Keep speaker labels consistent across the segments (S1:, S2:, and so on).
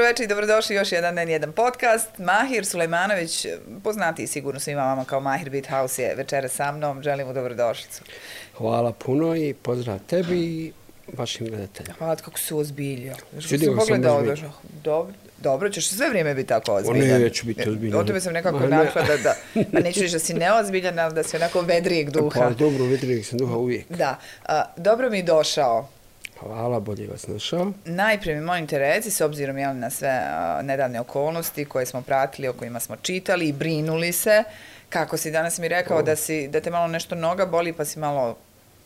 S1: večer i dobrodošli još jedan N1 podcast. Mahir Sulejmanović, poznatiji sigurno svima vama kao Mahir Beat House, je večera sa mnom. Želim mu dobrodošlicu.
S2: Hvala puno i pozdrav tebi i vašim gledateljima.
S1: Hvala, kako se ozbiljio.
S2: Čudio sam ozbiljio.
S1: Dobro, ćeš sve vrijeme biti tako ozbiljan.
S2: Neću biti ozbiljan.
S1: O tome sam nekako našla da neću reći da si neozbiljan, ali da si onako vedrijeg duha.
S2: Pa dobro, vedrijeg sam duha uvijek.
S1: Da, dobro mi došao.
S2: Hvala, bolje vas našao.
S1: Najprije mi molim te reci, s obzirom na sve nedavne okolnosti koje smo pratili, o kojima smo čitali i brinuli se, kako si danas mi rekao da te malo nešto noga boli pa si malo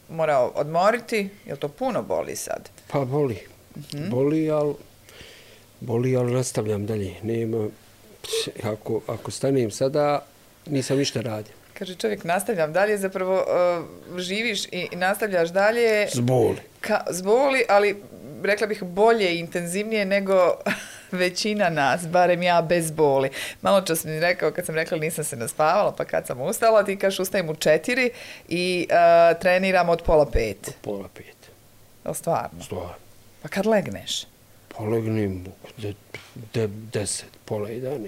S1: morao odmoriti, jel to puno boli sad?
S2: Pa boli. Boli, ali nastavljam dalje. Nema, ako stanem sada, nisam ništa radio.
S1: Kaže čovjek, nastavljam dalje, zapravo živiš i nastavljaš dalje. Zboli, ali rekla bih bolje i intenzivnije nego većina nas, barem ja bez boli. Malo čas mi rekao, kad sam rekla nisam se naspavala, pa kad sam ustala, ti kažeš ustajem u 4 i treniram od 4:30.
S2: Od 4:30.
S1: O, stvarno?
S2: Stvarno.
S1: Pa kad legneš?
S2: Pa legnem 10, pola 11.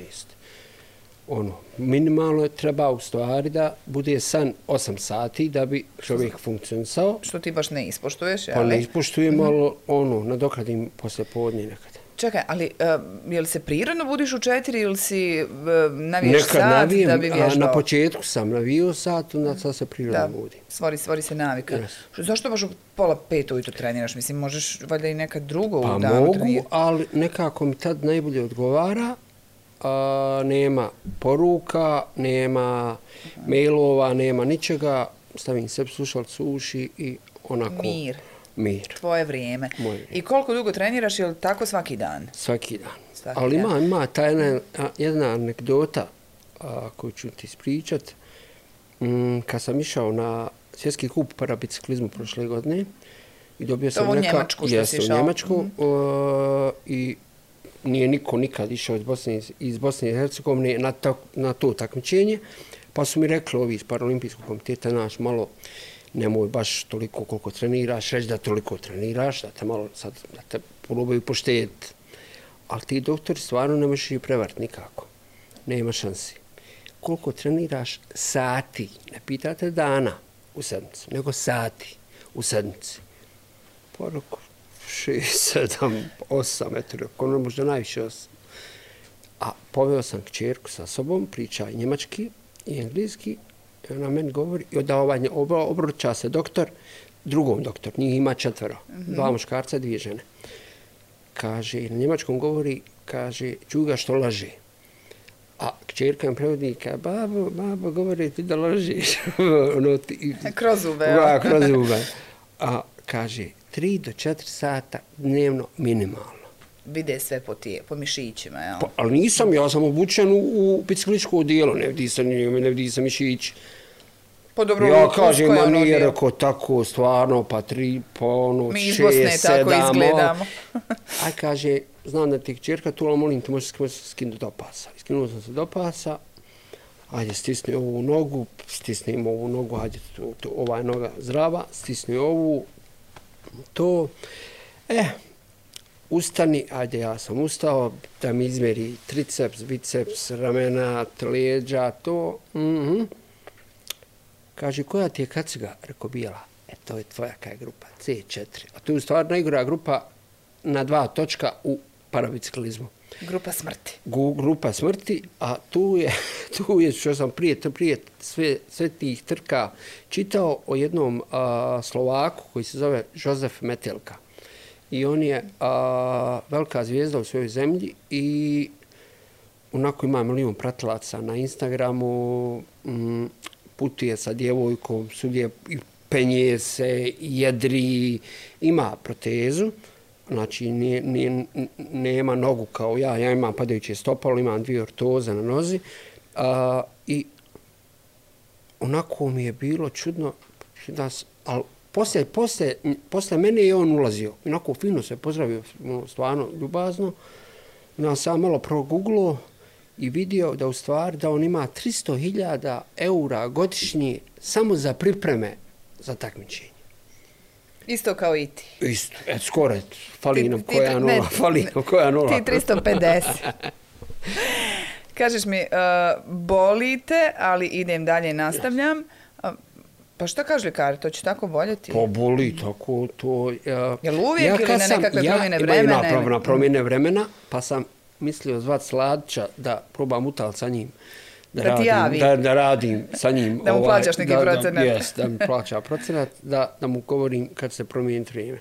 S2: Minimalno treba u stvari da bude san 8 sati da bi čovjek funkcionisao.
S1: Što ti baš ne ispoštuješ, jel?
S2: Pa ne ispoštujem, ali nadokradim poslije podne nekada.
S1: Čekaj, ali je li se prirodno budiš u 4 ili si naviješ
S2: nekad
S1: sat
S2: navijem,
S1: da bi vježbao?
S2: Na početku sam navio sat, onda sad se prirodno budim.
S1: Stvori se navika.
S2: Yes.
S1: Zašto baš u 4:30 ujutro treniraš? Mislim, možeš valjda i nekad drugo u danu
S2: trenirati.
S1: trenirati.
S2: Pa mogu, ali nekako mi tad najbolje odgovara. Nema poruka, nema mailova, nema ničega. Stavim sebi slušalicu u uši i onako... Mir.
S1: Tvoje vrijeme. I koliko dugo treniraš, je li tako svaki dan?
S2: Svaki dan. Ali ima ta jedna anegdota koju ću ti ispričat. Kad sam išao na svjetski kup parabiciklizmu prošle godine i dobio sam
S1: u Njemačku što si išao?
S2: U Njemačku i nije niko nikad išao iz Bosne i Hercegovine na to takmičenje, pa su mi rekli ovi iz Paralimpijskog komiteta, naš malo nemoj baš toliko koliko treniraš, reći da toliko treniraš, da te malo sad, da te probaju poštediti. Ali ti doktori stvarno ne možeš ih prevariti nikako. Nema šansi. Koliko treniraš sati, ne pitate dana u sedmici, nego sati u sedmici. Pa rekao, 6, 7, 8 metara, ono možda najviše 8. A poveo sam kćerku sa sobom, priča i njemački i engleski, i ona meni govori, i obruča se doktor, drugom doktor, njih ima 4, 2 muškarca, 2 žene. Kaže, na njemačkom govori, kaže, čuga što laže. A kćerka im prevodi, kaže, babo, govori ti da lažeš.
S1: Kroz zube.
S2: Kroz zube. A kaže, 3 do 4 sata dnevno minimalno.
S1: Vide sve po mišićima, jel?
S2: Pa, ali nisam, ja sam obučen u bicikličko odijelo, ne vidi sam mišić.
S1: Pa dobro,
S2: ja kažem, ma nije rekao tako, stvarno, pa 3, pa 6, 7.
S1: Mi iz Bosne tako izgledamo.
S2: Aj kaže, znam da ti kćerka tu, ali molim te, možeš skinuti do pasa. Skinuo sam se do pasa, ajde, stisni ovu nogu, stisnim ovu nogu, ajde, ova je noga zdrava, stisni ovu, to, ustani, ajde, ja sam ustao, da mi izmjeri triceps, biceps, ramena, leđa, to, Kaže, koja ti je kaciga? Rekao, bijela. To je tvoja kaj grupa, C4. A to je u stvari najgora grupa na 2 točka u parabiciklizmu.
S1: Grupa smrti.
S2: Grupa smrti, a tu je što sam prije sve tih trka čitao o jednom Slovaku koji se zove Jozef Metelka. I on je velika zvijezda u svojoj zemlji i onako ima milion pratilaca na Instagramu, putuje sa djevojkom, sudje penje se, jedri, ima protezu, znači nema nogu kao ja imam padajuće stopalo, imam 2 ortoze na nozi i onako mi je bilo čudno, ali posle mene je on ulazio, onako fino se pozdravio, stvarno ljubazno, onda sam malo progooglao i vidio da u stvari da on ima 300.000 € godišnje samo za pripreme za takmičenje.
S1: Isto kao i ti.
S2: Isto, skoro, fali nam koja nula.
S1: Ti 350. Kažeš mi, bolite, ali idem dalje i nastavljam. Pa šta kažu ljekari, to će tako boljeti?
S2: Pa boli, tako to...
S1: Jel uvijek ili na nekakve promjene vremena?
S2: Imaju na promjene vremena, pa sam mislio zvat Sladića da probam utalt sa njim.
S1: Da ti javi.
S2: Da radim sa njim.
S1: Da mu plaćaš neki procenat.
S2: Jes, da mi plaća procenat, da mu govorim kad se promijeni vrijeme.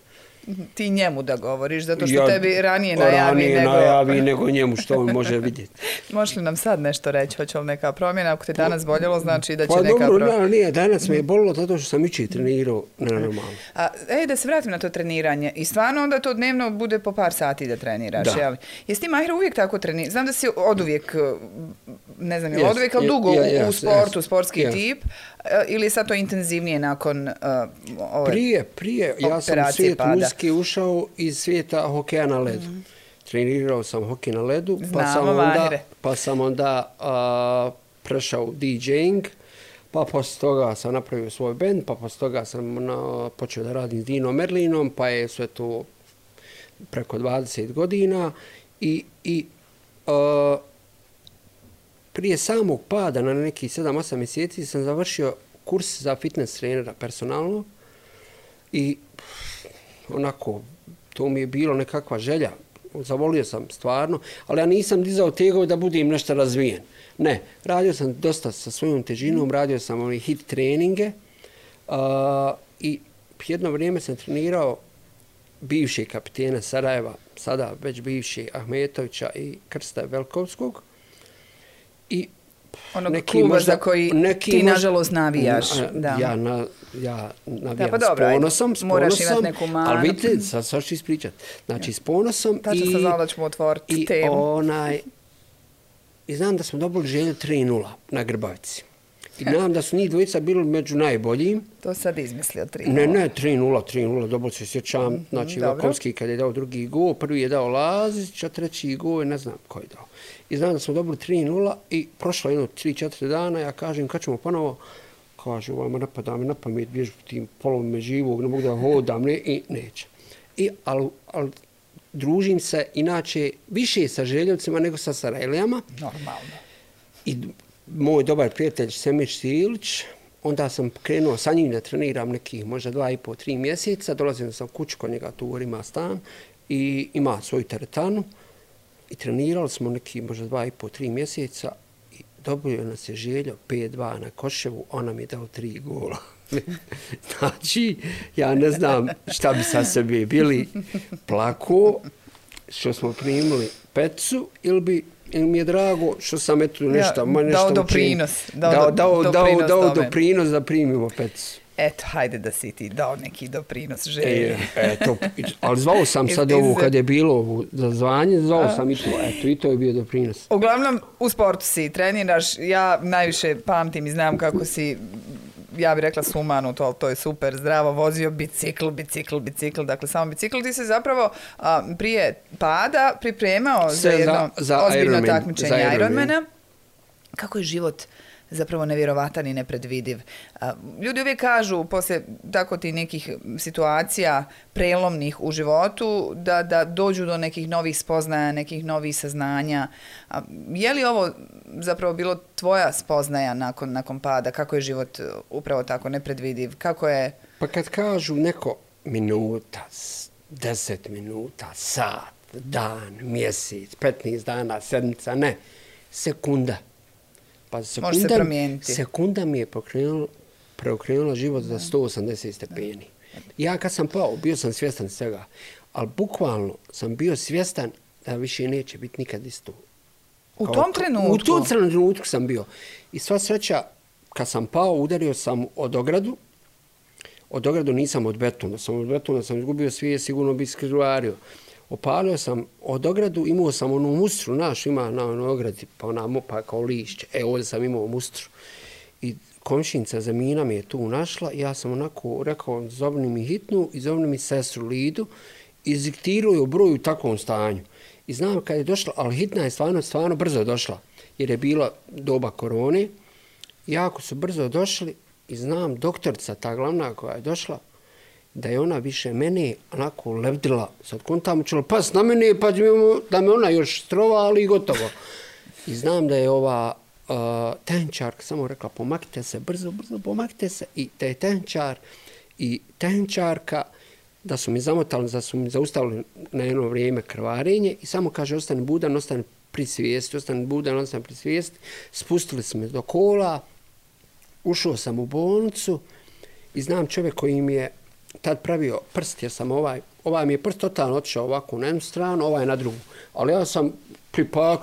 S1: Ti njemu da govoriš, zato što tebi ranije najavi
S2: nego njemu što on može vidjeti.
S1: Možeš li nam sad nešto reći, hoće li neka promjena? Ako te danas boljelo, znači da će neka promjena.
S2: Pa dobro, nije, danas me je bolilo zato što sam jučer trenirao nenormalno.
S1: Da se vratim na to treniranje. I stvarno onda to dnevno bude po par sati da treniraš, jel? Jesi ti, Mahira, uvijek tako trenirao? Znam da si oduvijek, ne znam, je oduvijek, ali dugo u sportu, sportski tip, ili je sad to intenzivnije nakon
S2: Prije, ja sam u svijet muzike ušao iz svijeta hokeja na ledu. Trenirao sam hokej na ledu, pa sam onda prešao u DJing, pa poslije toga sam napravio svoj band, pa poslije toga sam počeo da radim s Dinom Merlinom, pa je sve to preko 20 godina i prije samog pada na nekih 7-8 mjeseci sam završio kurs za fitness trenera personalno i onako, to mi je bilo nekakva želja. Zavolio sam stvarno, ali ja nisam dizao tegove da budem nešto razvijen. Ne, radio sam dosta sa svojom težinom, radio sam hit treninge i jedno vrijeme sam trenirao bivšeg kapitena Sarajeva, sada već bivšeg Ahmetovića i Krsta Velkovskog. I
S1: onog kluba za koji ti nažalost navijaš.
S2: Ja navijam s ponosom, ali vidite, sad ću ispričati. Znači, s ponosom
S1: tačno sam znala da ćemo otvoriti temu.
S2: I znam da smo dobili Želju 3-0 na Grbavici. I znam da su njih dvojica bili među najboljim.
S1: To sad izmislio 3-0.
S2: Ne, 3-0, dobro se sjećam. Znači, Velkovski kad je dao drugi gol, prvi je dao Lazić, a treći gol, ne znam ko je dao. I znam da smo dobili 3-0 i prošlo jedno 3-4 dana, ja kažem kad ćemo ponovo, kaže ovajmo napada me na pamet, bježu tim polovima živog, ne mogu da hodam, i neće. Ali družim se inače više sa Željevcima nego sa Sarajlijama.
S1: Normalno.
S2: I moj dobar prijatelj Semir Stilić, onda sam krenuo sa njim da treniram nekih možda 2,5-3 mjeseca, dolazim sam kuću kod njega, tu ima stan i ima svoju teretanu. I trenirali smo neki možda 2,5-3 mjeseca i dobio nas je Željo 5-2 na Koševu, on nam je dao 3 gola. Znači, ja ne znam šta bi sa sebi bili plako, što smo primili pecu, ili mi je drago što sam eto nešto
S1: dao doprinos.
S2: Dao doprinos da primimo pecu.
S1: Eto, hajde da si ti dao neki doprinos Želji.
S2: Ali zvao sam sad ovo kad je bilo za zvanje, zvao sam i to. Eto, i to je bio doprinos.
S1: Uglavnom, u sportu si treniraš. Ja najviše pamtim i znam kako si, ja bih rekla sumanut, ali to je super, zdravo, vozio bicikl. Dakle, samo bicikl. Ti se zapravo prije pada pripremao za jedno ozbiljno takmičenje Ironmana. Kako je život zapravo nevjerovatan i nepredvidiv. Ljudi uvijek kažu, poslije tako ti nekih situacija prelomnih u životu, da dođu do nekih novih spoznaja, nekih novih saznanja. Je li ovo zapravo bilo tvoja spoznaja nakon pada? Kako je život upravo tako nepredvidiv? Kako je...
S2: Pa kad kažu neko minuta, 10 minuta, sat, dan, mjesec, 15 dana, sedmica, ne, sekunda. Pa sekunda mi je preokrenula život za 180 stepeni. Ja kad sam pao, bio sam svjestan svega, ali bukvalno sam bio svjestan da više neće biti nikad isto.
S1: U tom trenutku?
S2: U tom trenutku sam bio. I sva sreća, kad sam pao, udario sam od ogradu. Od ogradu nisam od betona. Od betona sam izgubio svijest, sigurno bi skrivario. Opalio sam od ogradu, imao sam onu mustru, naš ima na ogradi, pa ona mopa kao lišće. Ovdje sam imao mustru. I komšinca Zamina mi je tu našla. Ja sam onako rekao, zovni mi hitnu i zovni mi sestru Lidu. I ziktirao je broj u takvom stanju. I znam kad je došla, ali hitna je stvarno brzo došla. Jer je bila doba korone. Jako su brzo došli i znam doktorica, ta glavna koja je došla, da je ona više mene onako lebdila. Sad kontam ćela pas na mene pa da me ona još strova, ali gotovo. I znam da je ova tehničarka samo rekla pomakite se, brzo pomakite se. I da je tehničar i tehničarka da su mi zamotali, da su mi zaustavili na jedno vrijeme krvarenje i samo kaže ostani budan, ostani pri svijesti, ostani budan, ostani pri svijesti. Spustili su me do kola, ušao sam u bolnicu i znam čovjek koji mi je tad pravio prst, jer sam ovaj mi je prst totalno otišao ovako na jednu stranu, ovaj na drugu. Ali ja sam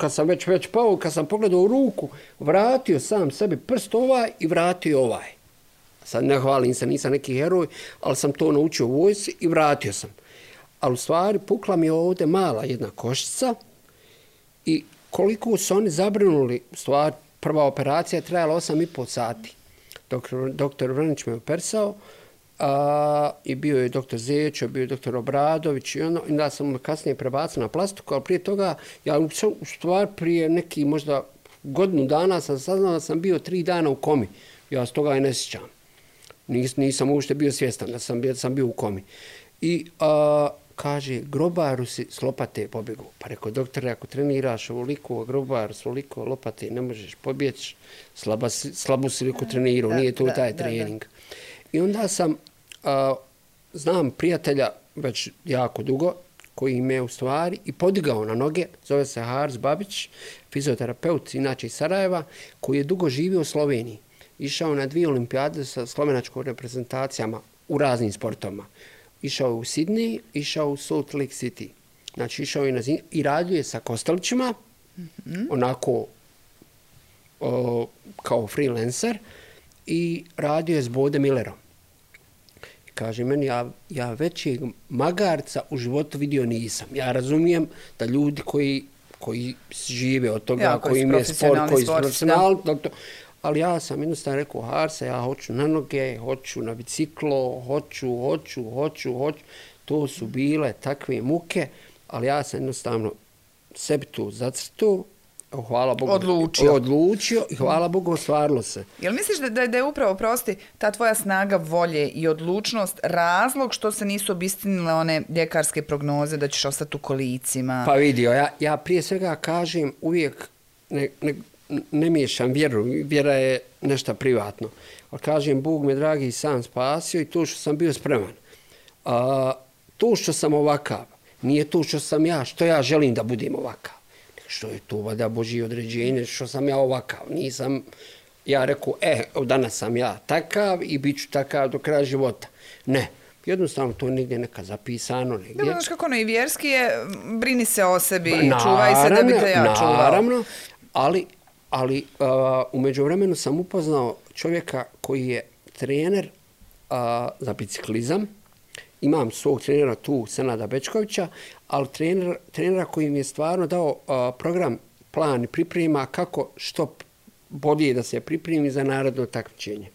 S2: kad sam već pao, kad sam pogledao u ruku, vratio sam sebi prst ovaj i vratio ovaj. Sad ne hvalim se, nisam neki heroj, ali sam to naučio u vojsci i vratio sam. Ali u stvari pukla mi je ovdje mala jedna koščica i koliko su oni zabrinuli, u stvari prva operacija je trajala 8,5 sati. Doktor Vranić me operisao i bio je doktor Zečo, bio je doktor Obradović i onda sam kasnije prebacio na plastiku, ali prije toga, ja u stvari prije neki možda godinu dana sam saznao da sam bio 3 dana u komi. Ja s toga i ne sjećam. Nisam uopšte bio svjestan da sam bio u komi. I kaže, grobaru si s lopate pobjegu. Pa rekao, doktore, ako treniraš ovoliko, grobaru s ovoliko lopate, ne možeš pobjeći, slabo si liko trenirao, nije to taj trening. I onda sam, znam prijatelja već jako dugo, koji me u stvari i podigao na noge, zove se Haris Babić, fizioterapeut, inače iz Sarajeva, koji je dugo živio u Sloveniji. Išao na 2 olimpijade sa slovenačkom reprezentacijama u raznim sportovima. Išao u Sidney, išao u Salt Lake City. Znači išao je i radio je sa Kostelićima, onako kao freelancer, i radio je s Bode Millerom. I kaže meni, ja većeg magarca u životu vidio nisam. Ja razumijem da ljudi koji žive od toga, koji im je sport, koji su profesionalni, ali ja sam jednostavno rekao, Harsa, ja hoću na noge, hoću na biciklo, hoću. To su bile takve muke, ali ja sam jednostavno sebi to zacrtao, hvala Bogu, odlučio i hvala Bogu ostvarilo se.
S1: Jel misliš da je upravo, prosti, ta tvoja snaga volje i odlučnost razlog što se nisu obistinile one ljekarske prognoze da ćeš ostati u kolicima?
S2: Pa vidio, ja prije svega kažem uvijek ne miješam vjeru, vjera je nešto privatno. Ali kažem, Bog me dragi sam spasio i to što sam bio spreman. To što sam ovakav, nije to što ja želim da budem ovakav. Što je to vada Božje određenje, što sam ja ovakav. Nisam ja rekao, danas sam ja takav i bit ću takav do kraja života. Ne. Jednostavno to je negdje neka zapisano.
S1: Da, znaš kako i vjerski je, brini se o sebi, čuvaj se da bi te ja čuvao.
S2: Naravno, ali u međuvremenu sam upoznao čovjeka koji je trener za biciklizam. Imam svog trenera tu, Senada Bečkovića, ali trenera koji mi je stvarno dao program, plan i priprema kako što bolje da se pripremi za narodno takmičenje.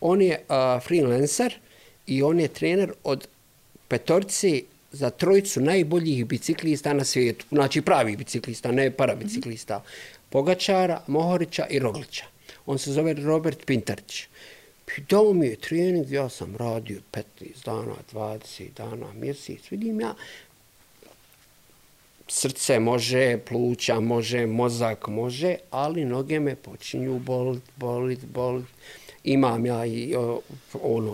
S2: On je freelancer i on je trener od 5 za 3 najboljih biciklista na svijetu. Znači pravih biciklista, ne parabiciklista. Pogačara, Mohorića i Roglića. On se zove Robert Pintarić. Dao mi je trening, ja sam radio 15 dana, 20 dana, mjesec. Vidim ja, srce može, pluća može, mozak može, ali noge me počinju bolit. Imam ja i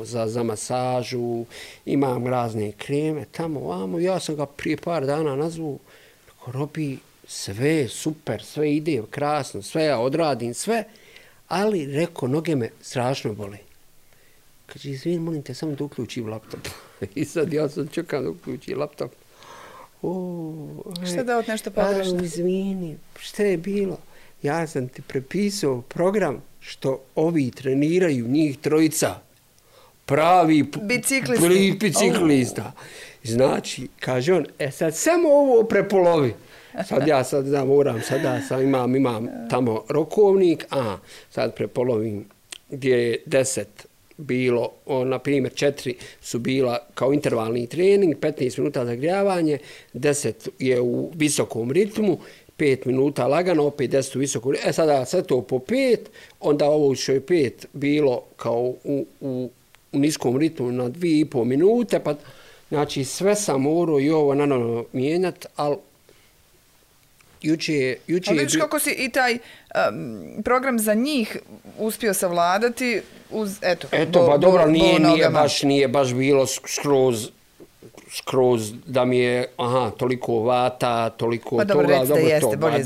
S2: za masažu, imam razne kreme, tamo, vamo. Ja sam ga prije par dana nazvao, Robi, sve super, sve ide krasno, sve ja odradim, sve, ali rekao, noge me strašno bole. Kaže, izvini, molim te, samo da uključim laptop. I sad ja sam čekam da uključim laptop.
S1: Šta da od nešto pogrešno?
S2: Izvini, šta je bilo? Ja sam ti prepisao program što ovi treniraju, njih 3, pravi biciklista. Znači, kaže on, sad samo ovo prepolovi. Sad moram, imam tamo rokovnik, sad prepolovim gdje je 10 bilo, na primjer 4 su bila kao intervalni trening, 15 minuta zagrijavanje, 10 je u visokom ritmu, 5 minuta lagano, opet 10 u visokom ritmu. Sada sve to po 5, onda ovo što je 5 bilo kao u u niskom ritmu na 2,5 minute, pa znači sve sam morao i ovo naravno mijenjati, ali juče
S1: ali vidiš kako si i taj program za njih uspio savladati uz, eto
S2: pa dobro, nije baš bilo skroz da mi je, toliko vata, toliko
S1: pa dobro,
S2: toga,
S1: dobro jeste, bolje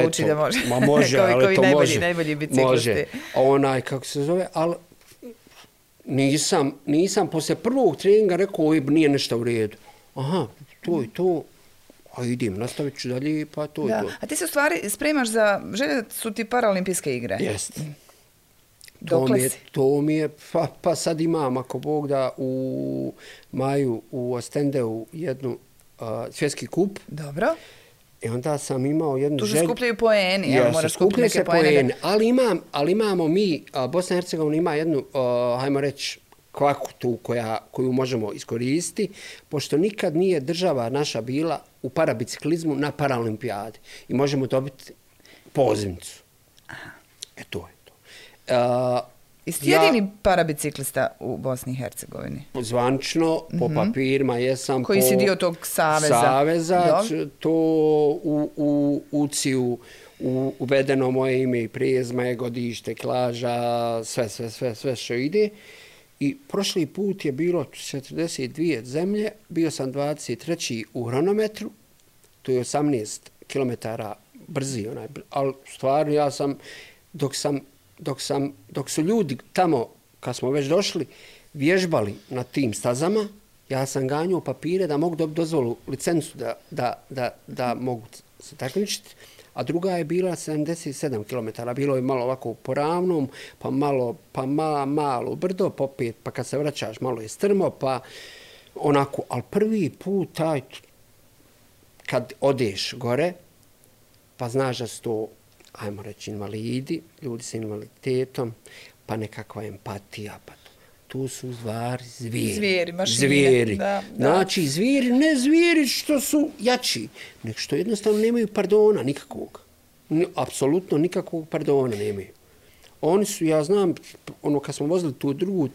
S1: zvuči da može.
S2: Ma može, ali to može.
S1: Najbolji biciklisti.
S2: Može. Kako se zove, ali nisam poslije prvog treninga rekao, nije nešto u redu. To je to. A idem, nastavit ću dalje, pa to je to.
S1: A ti se u stvari spremaš za, želje su ti paraolimpijske igre?
S2: Jeste.
S1: Dokle si?
S2: To mi je, pa sad imam, ako Bog da, u maju u Ostendeu jednu svjetski kup.
S1: Dobro.
S2: I onda sam imao jednu želju.
S1: Tu se skupljaju poeni, moraš skupiti neke
S2: poene. Ali imamo mi, Bosna i Hercegovina ima jednu, hajmo reći, kvaku tu koju možemo iskoristiti, pošto nikad nije država naša bila u parabiciklizmu na paraolimpijadi i možemo dobiti pozivnicu. To je to.
S1: Jesi jedini parabiciklista u Bosni i Hercegovini?
S2: Zvanično, po papirima jesam.
S1: Koji si dio tog saveza?
S2: To u UCI-u uvedeno moje ime i prezime, godište, klaža, sve što ide. I prošli put je bilo 42 zemlje, bio sam 23. u hronometru, to je 18 km brzi, ali stvarno ja sam, dok su ljudi tamo, kad smo već došli, vježbali na tim stazama, ja sam ganjao papire da mogu dobiti dozvolu, licencu da mogu se takmičiti. A druga je bila 77 km. Bilo je malo ovako po ravnom, pa malo brdo, popet, pa kad se vraćaš malo je strmo, pa onako. Ali prvi put kad odeš gore, pa znaš da su to, ajmo reći, invalidi, ljudi sa invaliditetom, pa nekakva empatija, pa tu su stvari zvijeri.
S1: Zvijeri. Da.
S2: Znači, zvijeri, ne zvijeri što su jači, nego što jednostavno nemaju pardona nikakvog. Apsolutno nikakvog pardona nemaju. Oni su, ja znam, kad smo vozili tu drugu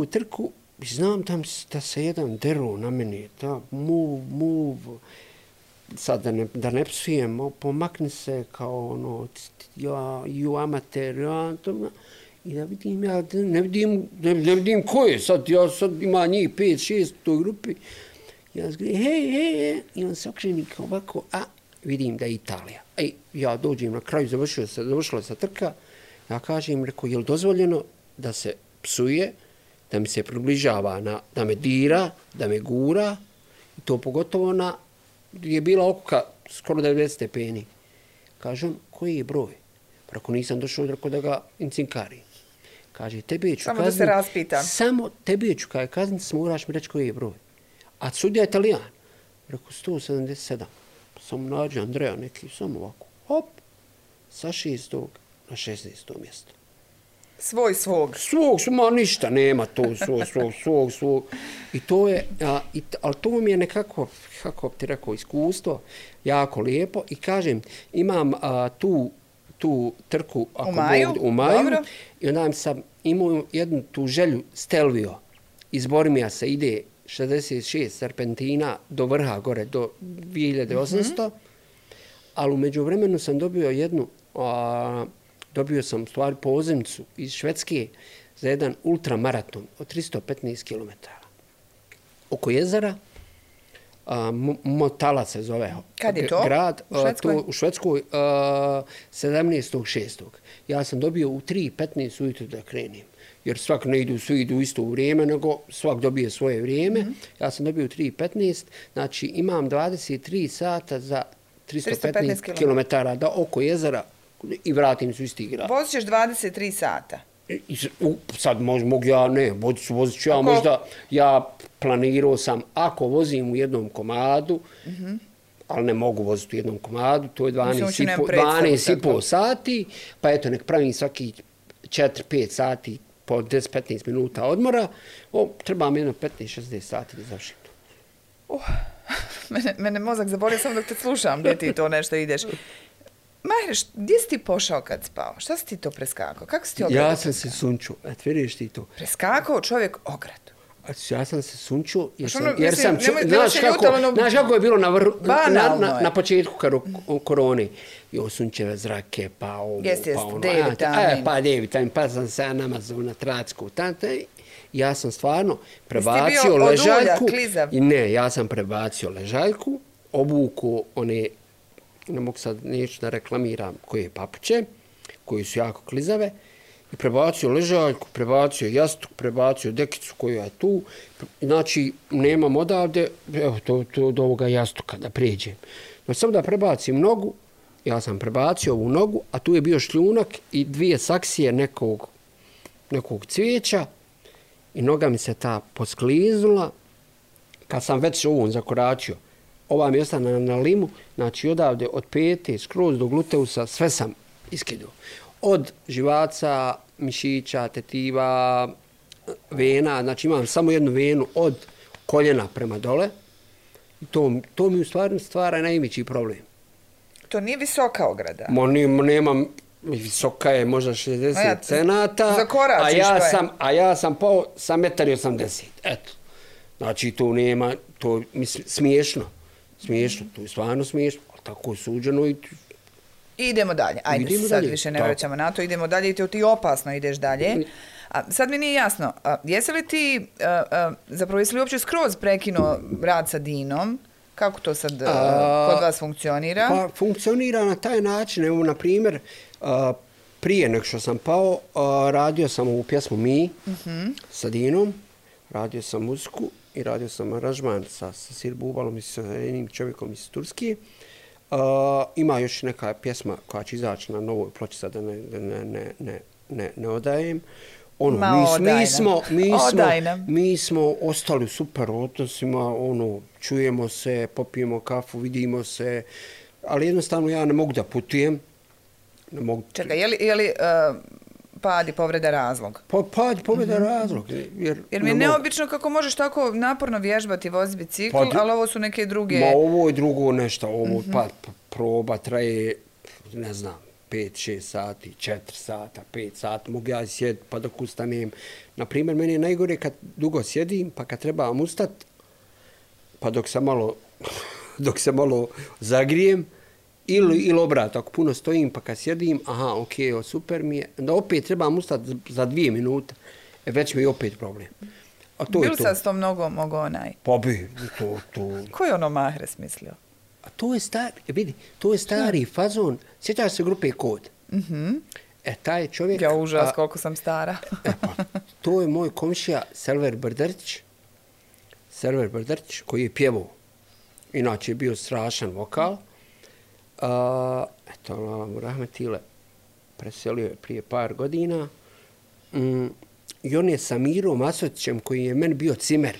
S2: trku, znam da se jedan deru na meni, da move, sad da ne psujem, pomakni se kao you amateur, i da vidim, ja ne vidim ko je, sad ima njih 5-6 u toj grupi, ja zgledam, hej, i on se okreni kao ovako, vidim da je Italija. Ja dođem na kraju, završila se trka, ja kažem, rekao, je li dozvoljeno da se psuje, da mi se približava, da me dira, da me gura, i to pogotovo je bila okuka skoro 90 stepeni. Kaže on, koji je broj? Pa ako nisam došao, rekao da ga incinkari. Kaže, tebe ću
S1: kazniti. Samo da se raspitam.
S2: Samo tebe ću kazniti, moraš mi reći koji je broj. A sudija je Italijan. Rekao, 177. Pa sam nađe Andreja neki, samo ovako. Hop, sa 6. na 16. mjesto.
S1: Svog.
S2: Ma ništa, nema to, svog. I to je, ali to mi je nekako, kako ti rekao, iskustvo, jako lijepo. I kažem, imam tu trku u maju i onda sam imao jednu tu želju Stelvio. Iz Bormija se ide 66 serpentina do vrha gore, do 2800, ali u međuvremenu sam dobio sam stvari pozivnicu iz Švedske za jedan ultramaraton od 315 km. Oko jezera, Motala se zove.
S1: Kad je to?
S2: Grad, u Švedskoj 17.6. Ja sam dobio u 3:15 ujutro da krenem. Jer svak ne idu, svi idu isto u vrijeme, nego svak dobije svoje vrijeme. Ja sam dobio u 3:15, znači imam 23 sata za 315 km da oko jezera i vratim se u isti grad.
S1: Vozit ćeš 23 sata?
S2: Sad mogu ja, ne, vozit ću ja možda, ja planirao sam, ako vozim u jednom komadu, ali ne mogu voziti u jednom komadu, to je 12,5 sati, pa eto, nek pravim svaki 4-5 sati po 10-15 minuta odmora, treba mi jedno 15-60 sati da završim to.
S1: Mene mozak zaborio samo dok te slušam, gdje ti to nešto ideš. Mahre, gdje si ti pošao kad spao? Šta si ti to preskakao? Kako si ti ogradu?
S2: Ja sam se sunčio, vidiš ti to.
S1: Preskakao čovjek ogradu.
S2: Ja sam se sunčio
S1: jer sam
S2: znaš kako je bilo na početku korone. Sunčeve zrake, pa ovo, pa ono. Pa D-vitamin, pa sam se namazao na tracku. Ja sam stvarno prebacio ležaljku. Ne, ja sam prebacio ležaljku, obuku one, ne mogu sad, neću da reklamiram koje papuče, koji su jako klizave, i prebacio ležaljku, prebacio jastuk, prebacio dekicu koja je tu. Znači, nemam odavde, evo to do ovoga jastuka da prijeđem. Znači, samo da prebacim nogu, ja sam prebacio ovu nogu, a tu je bio šljunak i 2 saksije nekog cvijeća i noga mi se ta poskliznula. Kad sam već ovom zakoračio, ova mi je ostala na limu, znači odavde od pete skroz do gluteusa sve sam iskidio. Od živaca, mišića, tetiva, vena, znači imam samo jednu venu od koljena prema dole. To mi u stvari stvara najveći problem.
S1: To nije visoka ograda?
S2: Nemam, visoka je možda 60 cenata, a ja sam pao sa 1,80 m. Eto. Znači to nema, to smiješno, to je stvarno smiješno, ali tako je suđeno i...
S1: Idemo dalje, ajde sad više ne vraćamo na to, idemo dalje i ti opasno ideš dalje. A sad mi nije jasno, jesi li ti, zapravo jesi li uopće skroz prekinuo rad sa Dinom? Kako to sad kod vas funkcionira?
S2: Pa funkcionira na taj način, evo na primjer, prije nego što sam pao, radio sam ovu pjesmu Mi sa Dinom, radio sam muziku i radio sam aranžman sa Sir Bubalom i sa jednim čovjekom iz Turske. Ima još neka pjesma koja će izaći na novoj ploči, sad da ne odajem. Mi smo ostali u super odnosima, čujemo se, popijemo kafu, vidimo se, ali jednostavno ja ne mogu da putujem.
S1: Čekaj, je li pad i povreda razlog?
S2: Pad i povreda razlog.
S1: Jer mi je neobično kako možeš tako naporno vježbati, vozi bicikl, ali ovo su neke druge...
S2: Ovo je drugo nešto, ovo proba traje, ne znam, 5-6 sati, 4 sata, 5 sati, mogu ja sjediti pa dok ustanem. Naprimjer, meni je najgore kad dugo sjedim, pa kad trebam ustat, pa dok se malo zagrijem, ili obrat, ako puno stojim, pa kad sjedim, super mi je, da opet trebam ustati za 2 minute, već mi je opet problem.
S1: Bilo sad s tom nogom mogo onaj?
S2: Pa bi, to...
S1: Ko je ono Mahre smislio?
S2: A to je stari fazon. Sjećaš se grupe Kod? Taj čovjek...
S1: Ja užas koliko sam stara.
S2: To je moj komšija Selver Brdrć, koji je pjevao. Inače je bio strašan vokal. Eto, Allah mu rahmetile, preselio je prije par godina. I on je sa Mirom Asotićem, koji je meni bio cimer.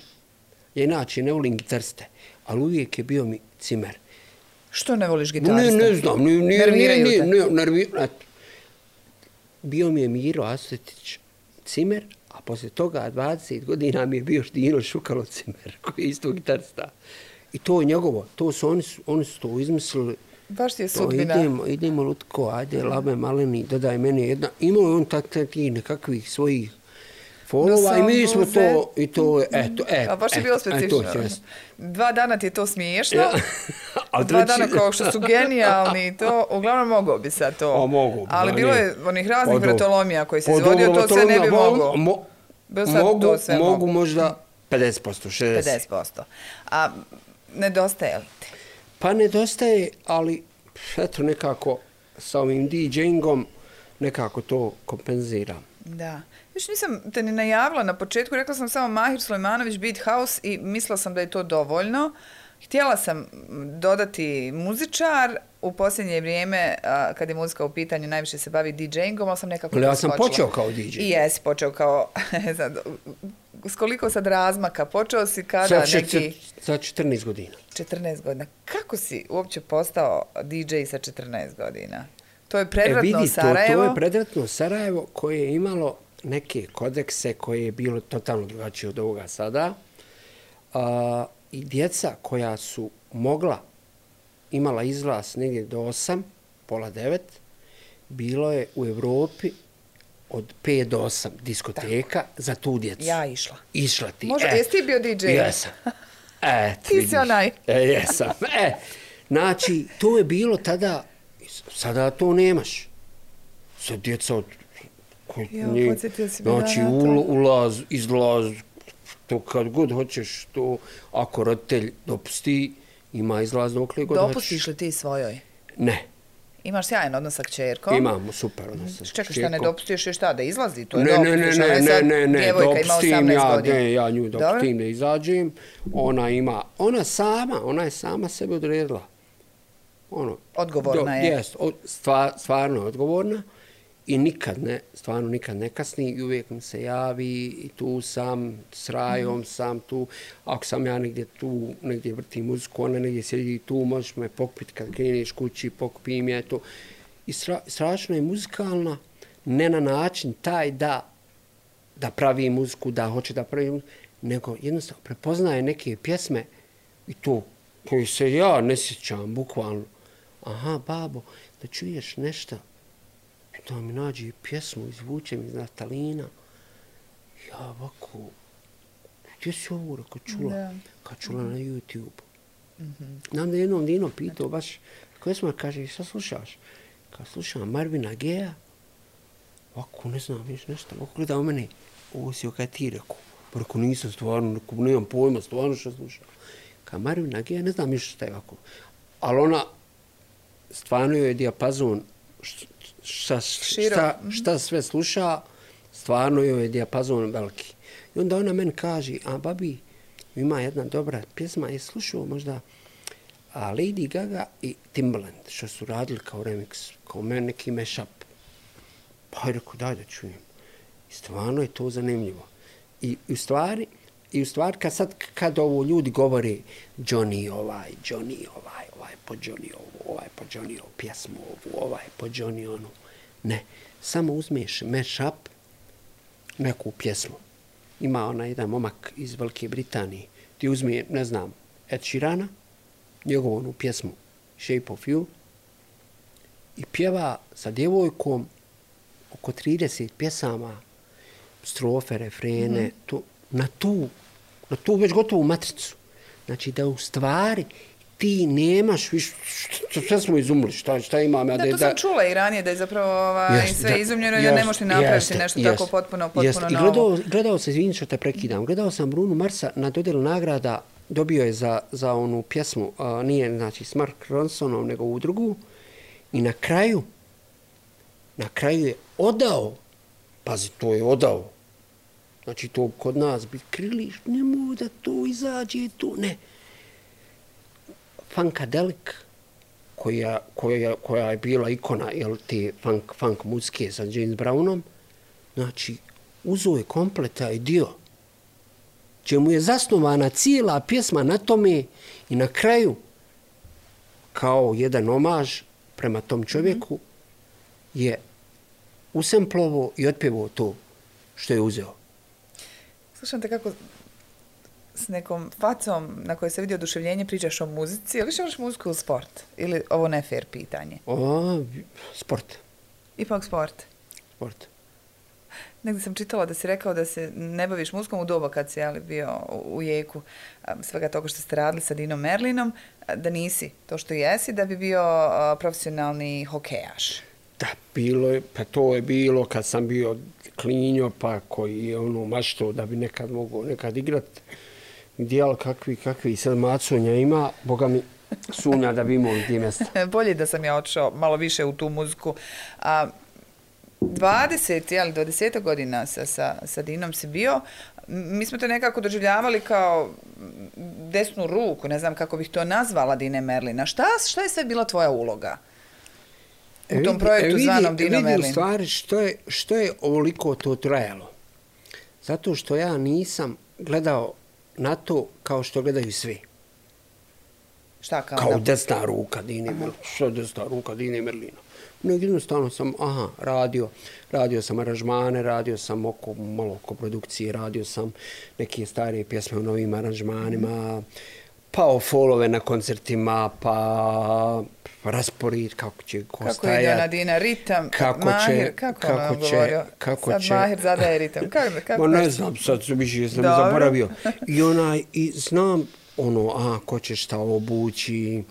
S2: Ja inače ne volim gitariste, ali uvijek je bio mi cimer.
S1: Što ne voliš gitarista?
S2: Ne znam.
S1: Nerviraju te?
S2: Bio mi je Miro Asotić cimer, a poslije toga 20 godina mi je bio Dino Šukalo cimer, koji je isto gitarista. I to je njegovo, oni su to izmislili.
S1: Baš ti je sudbina.
S2: Idemo Lutko, ajde, labe maleni, dodaj meni jedna. Imao je on takvih nekakvih svojih folova i mi smo to, i to, eto.
S1: A baš je bilo specifično. 2 dana ti je to smiješno, 2 dana kao što su genijalni i to, uglavnom mogao bi sad to. Ali bilo je onih raznih vratolomija koji se izvodio, to sve ne bi mogao.
S2: Mogu možda 50%, 60%.
S1: 50%. A nedostaje li ti?
S2: Pa nedostaje, ali eto nekako sa ovim DJ-ingom nekako to kompenziram.
S1: Da. Još nisam te ni najavila na početku, rekla sam samo Mahir Sulejmanović Beat House i mislila sam da je to dovoljno. Htjela sam dodati muzičar, u posljednje vrijeme, kad je muzika u pitanju, najviše se bavi DJ-ingom, ali sam nekako
S2: ja sam počeo kao DJ.
S1: I jesi počeo kao, s koliko sad razmaka, počeo si kada neki...
S2: Za 14 godina.
S1: 14 godina. Kako si uopće postao DJ sa 14 godina? To je predratno Sarajevo?
S2: To je predratno Sarajevo koje je imalo neke kodekse koje je bilo totalno drugačije od ovoga sada. I djeca koja su imala izlaz negdje do 8 pola 9, bilo je u Evropi od 5 do 8 diskoteka za tu djecu.
S1: Ja išla.
S2: Išla ti.
S1: Možda, jesi ti bio DJ?
S2: Jesam.
S1: Ti si onaj.
S2: Jesam. Znači, to je bilo tada, sada to nemaš. Sad djeca od...
S1: podsjetio si me
S2: znači, ulaz, izlaz, to kad god hoćeš, to ako roditelj dopusti, ima izlaz dokle god hoćeš.
S1: Dopustiš li ti svojoj?
S2: Ne.
S1: Imaš sjajan odnos sa kćerkom?
S2: Imamo super odnos sa kćerkom.
S1: Čekaj, šta ne dopustiš još šta, da izlazi? To je
S2: ne, dopustim ja nju dopustim da izađem. Ona je sama sebe odredila.
S1: Odgovorna je.
S2: Jest, stvarno je odgovorna i stvarno nikad ne kasni i uvijek mi se javi i tu sam, s Rajom sam tu. Ako sam ja negdje vrtim muziku, ona negdje sjedi tu, možeš me pokupiti kad kreneš kući, pokupim je to. I strašno je muzikalna, ne na način taj da pravi muziku, da hoće da pravi muziku, nego jednostavno prepoznaje neke pjesme i to koji se ja ne sjećam, bukvalno. Aha, babo, da čuješ nešto, da mi nađe pjesmu, izvučem iz naftalina. Ja ovako, gdje si ovo rekao čula? Kad čula na YouTube. Znam da jednom Dino pitao baš, koje smo kaže, šta slušaš? Kad slušam Marvina Gaye, ovako ne znam, viš nešto, ovako gleda u mene, ovo si kaj ti rekao. Pa rekao, nisam stvarno, nemam pojma, stvarno što slušam. Kad Marvina Gaye, ne znam više šta je ovako. Ali ona, stvarno je dijapazon, šta sve sluša, stvarno je dijapazon veliki. I onda ona meni kaže, a babi, ima jedna dobra pjesma, je slušao možda Lady Gaga i Timbaland, što su radili kao remix, kao neki mashup. Pa je rekao, daj da čujem. I stvarno je to zanimljivo. I u stvari, kad ovo ljudi govore Johnny ovaj po Johnny ovo, ovaj po Johnny ovu pjesmu ovu, ovaj po Johnny onu. Ne, samo uzmeš mashup, neku pjesmu. Ima ona jedan momak iz Velike Britanije, ti uzme, ne znam, Ed Sheerana, njegovu onu pjesmu Shape of You i pjeva sa djevojkom oko 30 pjesama, strofe, refrene, na tu već gotovu matricu. Znači da u stvari ti nemaš više, sve smo izumili, šta imam ja
S1: to sam čula i ranije, da je zapravo sve izumljeno i da ne možeš ni napraviti nešto tako potpuno novo.
S2: I gledao se, izvini što te prekidam, gledao sam Bruno Marsa na dodjelu nagrada, dobio je za onu pjesmu, nije znači s Mark Ronsonom, nego u drugu, i na kraju je odao, pazi, to je odao, znači to kod nas bi krili, nemoj da to izađe tu, ne. Funkadelic, koja je bila ikona te funk muzike sa James Brownom, znači uzeo je komplet taj dio, čemu je zasnovana cijela pjesma na tome i na kraju, kao jedan omaž prema tom čovjeku, je usemplovo i otpjevao to što je uzeo.
S1: Slušam te kako s nekom facom na kojoj se vidi oduševljenje pričaš o muzici, ili više voliš muziku ili sport? Ili ovo ne fair pitanje?
S2: Sport.
S1: Ipak sport?
S2: Sport.
S1: Negdje sam čitala da si rekao da se ne baviš muzikom u doba kad si bio u jeku svega toga što ste radili sa Dinom Merlinom, da nisi to što jesi, da bi bio profesionalni hokejaš.
S2: Da, to je bilo kad sam bio klinjo, pa koji je maštao da bi nekad mogao igrati. Dijel kakvi sad macunja ima, Boga mi sumnja da bi imao gdje mjesta.
S1: Bolje da sam ja otišao malo više u tu muziku. 20 godina sa Dinom si bio. Mi smo te nekako doživljavali kao desnu ruku, ne znam kako bih to nazvala, Dine Merlina. Šta je sve bila tvoja uloga u tom projektu zvanom Dino Merlin?
S2: Vidi u stvari što je ovoliko to trajalo. Zato što ja nisam gledao na to kao što gledaju svi.
S1: Šta kao?
S2: Kao desna ruka Dine Merlina. Što je desna ruka Dine Merlina? Jednostavno sam, radio sam aranžmane, radio sam malo oko produkcije, radio sam neke starije pjesme u novim aranžmanima, pa o folove na koncertima, pa raspored, kako će ko stajati.
S1: Kako ide ona Dina, ritam, Mahir, kako ono govorio? Sad Mahir zadaje ritam. Kako
S2: ne znam, sad više sam zaboravio. I znam ko će šta obući,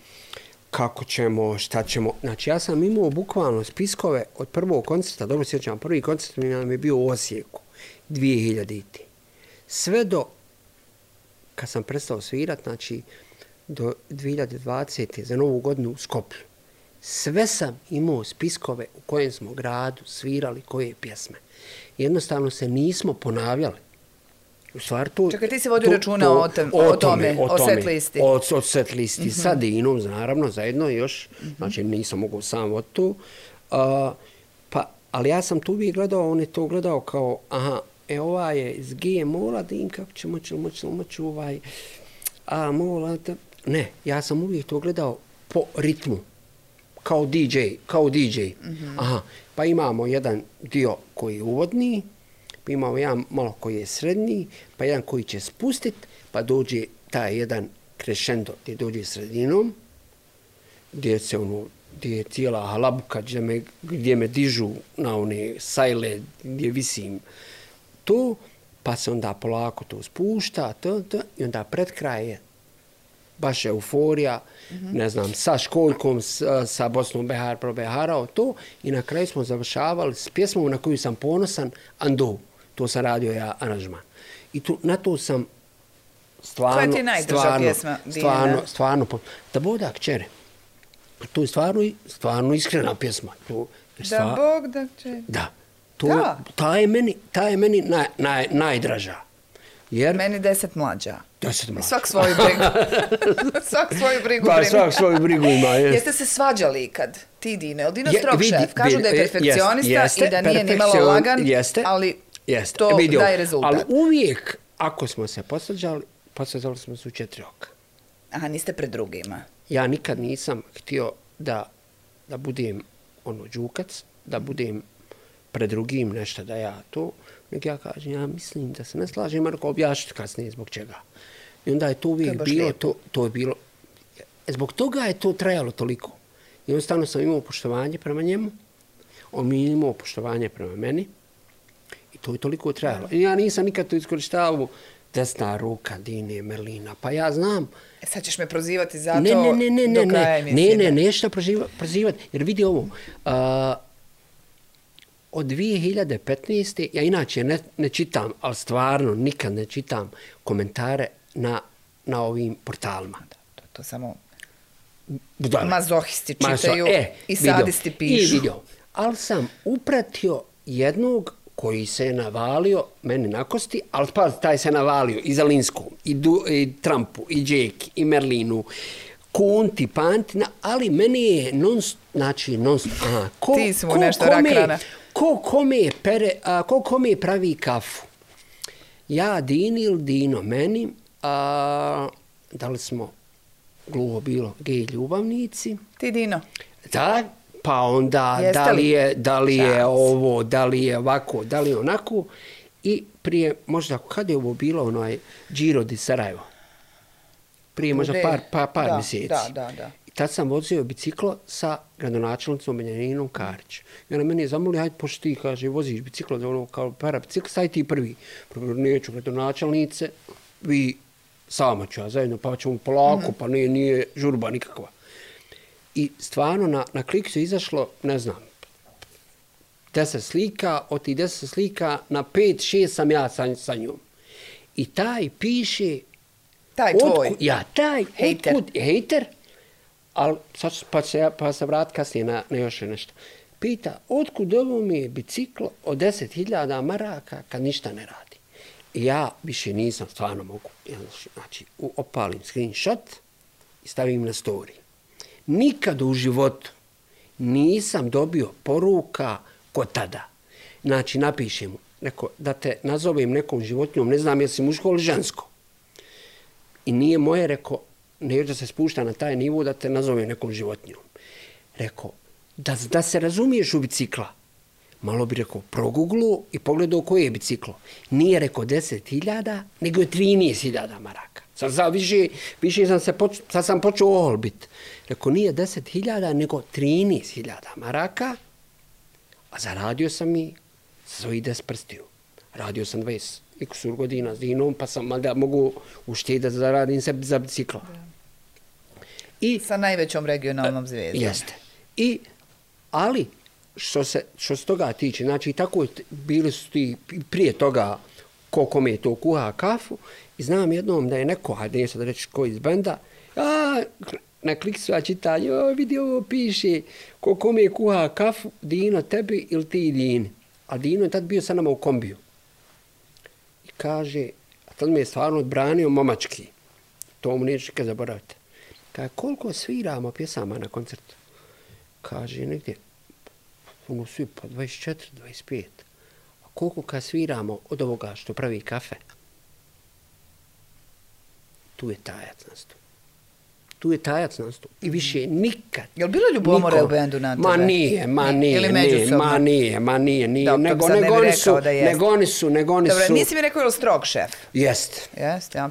S2: kako ćemo, šta ćemo. Znači, ja sam imao bukvalno spiskove od prvog koncerta, dobro sjećam, prvi koncert nam je bio u Osijeku, 2000. Sve do, kad sam prestao svirat, znači, do 2020. za novu godinu u Skoplju. Sve sam imao spiskove u kojem smo gradu svirali koje pjesme. Jednostavno se nismo ponavljali. U stvari
S1: čekaj, ti si vodio računa o tome, o set listi.
S2: O set listi, sa Dinom, naravno, zajedno još. Znači, nisam mogao sam od tu. Ali ja sam tu uvijek gledao, on je to gledao kao, ova je iz GMO-a, Din, kako će moći Mola, ne, ja sam uvijek to gledao po ritmu, kao DJ. Pa imamo jedan dio koji je uvodni, pa imamo jedan malo koji je srednji, pa jedan koji će spustit, pa dođe taj jedan crescendo gdje dođe sredinom, gdje je cijela halabuka, gdje me dižu na one sajle, gdje visim to, pa se onda polako to spušta, i onda pred kraj je baš euforija, ne znam, sa Školjkom, sa Bosnom Beharao to, i na kraju smo završavali s pjesmom na koju sam ponosan, Ando. To sam radio ja aranžman. I na to sam stvarno...
S1: Koja ti je najdrža pjesma, Dijana?
S2: Stvarno, da Boga kćere. To je stvarno iskrena pjesma.
S1: Da Bog da kćere.
S2: Da. Ta je meni najdraža.
S1: Meni 10 mlađa.
S2: 10 mlađa.
S1: Svak svoju brigu. Svak svoju brigu.
S2: Pa svak svoju brigu ima.
S1: Jeste se svađali ikad, ti Dine? Ili Dino strog šef? Kažu da je perfekcionista i da nije ni malo lagan, ali to daje rezultat.
S2: Ali uvijek, ako smo se posvađali smo se u 4 oka.
S1: Aha, niste pred drugima.
S2: Ja nikad nisam htio da budem đukac, da budem pred drugim nešto da ja to, nek ja kažem, ja mislim da se ne slažem, Marko, objašniti kasnije zbog čega. I onda je to uvijek bilo, to je bilo, zbog toga je to trajalo toliko. Jednostavno sam imao poštovanje prema njemu, on mi je imao poštovanje prema meni i to je toliko trajalo. I ja nisam nikad to iskorištavao desna ruka Dine, Merlina, pa ja znam.
S1: Sad ćeš me prozivati za to do kraja emisije.
S2: Ne, neću prozivati, jer vidi ovo, od 2015. ja inače ne čitam, ali stvarno nikad ne čitam komentare na ovim portalima.
S1: To samo mazohisti čitaju i sadisti pišu.
S2: Ali sam upratio jednog koji se je navalio meni na kosti, ali taj se navalio i Zalinskom, i Trumpu, i Džeki, i Merlinu, Kunti, Pantina, ali meni je
S1: ti si mu nešto rakrana.
S2: Ko kome pravi kafu? Ja Dini ili Dino meni, da li smo gluho bilo gej ljubavnici?
S1: Ti Dino.
S2: Da, pa onda da li je ovo, da li je ovako, da li je onako. I prije, možda kad je ovo bilo Giro di Sarajevo? Prije možda par mjeseci.
S1: Da.
S2: I tad sam vozio biciklo sa gradonačelnicom Benjaminom Karić. I ona meni je zamolila, ajde pošto ti, kaže, voziš biciklo, kao para biciklo, staj ti prvi. Neću gradonačelnice, vi sama ću ja zajedno, pa ćemo polako, pa nije žurba nikakva. I stvarno na klik su izašlo, ne znam, 10 slika, od tih 10 slika na 5-6 sam ja sa njom. I taj piše...
S1: Taj tvoj.
S2: Taj hejter, ali pa se vrat kasnije na još nešto. Pita, otkud ovo mi je biciklo od 10.000 maraka kad ništa ne radi? I ja više nisam, stvarno mogu. Znači, opalim screenshot i stavim na story. Nikad u životu nisam dobio poruka ko tada. Znači, napišem da te nazovem nekom životinjom, ne znam jesi muško ili žensko. I nije moje, rekao, neću da se spušta na taj nivo da te nazovem nekom životinjom. Rekao, da se razumiješ u bicikla, malo bi rekao proguglu i pogledao koje je biciklo. Nije rekao 10.000, nego je 13.000 maraka. Sad sam počeo oholbit. Rekao nije 10.000, nego 13.000 maraka, a zaradio sam i svojih 10 prstiju. Radio sam 20 i kusur godina s Dinom, pa sam da mogu uštediti da zaradim sebi za biciklo.
S1: I sa najvećom regionalnom zvijezdom.
S2: Jeste. Ali, što se toga tiče, znači tako bili su ti prije toga ko kome to kuha kafu i znam jednom da je neko, hajde nije sad reći ko iz benda, na kliksu ja čitam, vidi ovo piše, ko kome kuha kafu, Dino tebi ili ti Dini. A Dino je tad bio sa nama u kombiju. I kaže, a tad me je stvarno odbranio momački, to mu neću kad zaboravite. Kaže, koliko sviramo pjesama na koncertu? Kaže, negdje, svi po 24, 25. A koliko kad sviramo od ovoga što pravi kafe? Tu je tajac nastup. I više nikad.
S1: Je li bilo ljubomore u bendu na tebe?
S2: Ma nije. Nego oni su.
S1: Dobro, nisi mi rekao je li strog šef?
S2: Jest,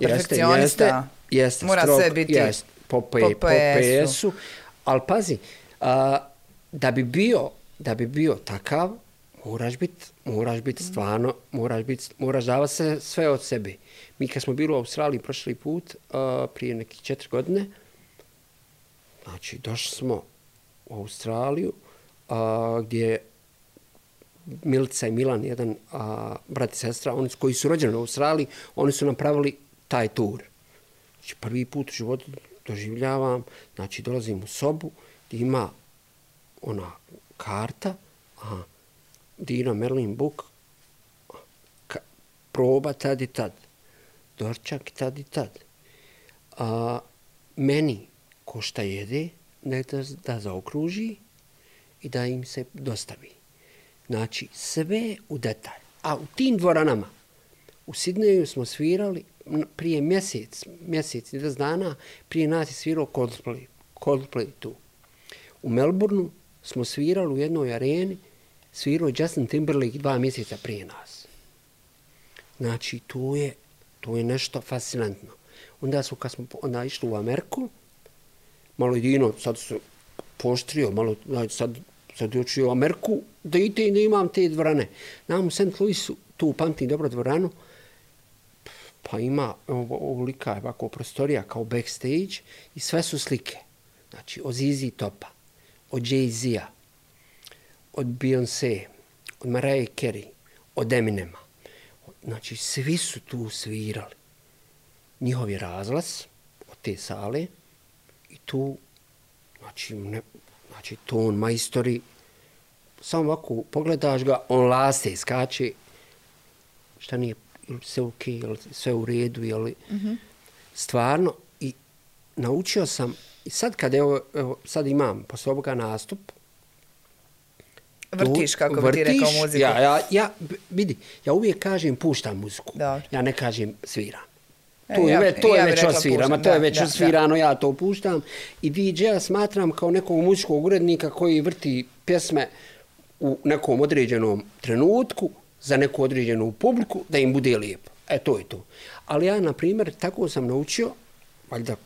S1: perfekcionista.
S2: Jest,
S1: mora
S2: strog,
S1: sve biti
S2: po PS-u. Ali pazi, da bi bio takav, moraš biti stvarno, moraš davati sve od sebe. Mi kad smo bili u Australiji prošli put, prije nekih 4 godine, znači došli smo u Australiju, gdje Milica i Milan, jedan brat i sestra, oni koji su rođeni u Australiji, oni su napravili taj tur. Znači prvi put u životu doživljavam, znači dolazim u sobu gdje ima ona karta, Dino Merlin Book, proba tad i tad, dorčak tad i tad. Meni ko šta jede, da zaokruži i da im se dostavi. Znači, sve u detalj. A u tim dvoranama, u Sidneju smo svirali prije mjesec i 10 dana, prije nas je svirao Coldplay tu. U Melbourneu smo svirali u jednoj areni, svirao je Justin Timberlake 2 mjeseca prije nas. Znači, to je nešto fascinantno. Kad smo išli u Ameriku, malo je Dino, sad se poštrio, malo, sad je očio u Ameriku, da imam te dvorane. Nam u St. Louisu, tu pamtim dobro dvoranu, pa ima ovolika ovako prostorija kao backstage i sve su slike. Znači, od ZZ Topa, od Jay-Z-a, od Beyoncé, od Mariah Carey, od Eminema. Znači, svi su tu svirali. Njihov je razglas od te sale i tu, znači ton, majstori, samo ovako pogledaš ga, on laste, skače, šta nije, sve ok, sve u redu, stvarno. I naučio sam, i sad kad sad imam posle ovoga nastup,
S1: vrtiš, kako bi ti rekao muziku.
S2: Vidi, ja uvijek kažem puštam muziku.
S1: Dobro.
S2: Ja ne kažem sviram. To je već osvirano, ja to puštam. I DJ-a smatram kao nekog muzičkog urednika koji vrti pjesme u nekom određenom trenutku za neku određenu publiku da im bude lijepo. To je to. Ali ja, na primjer, tako sam naučio, valjda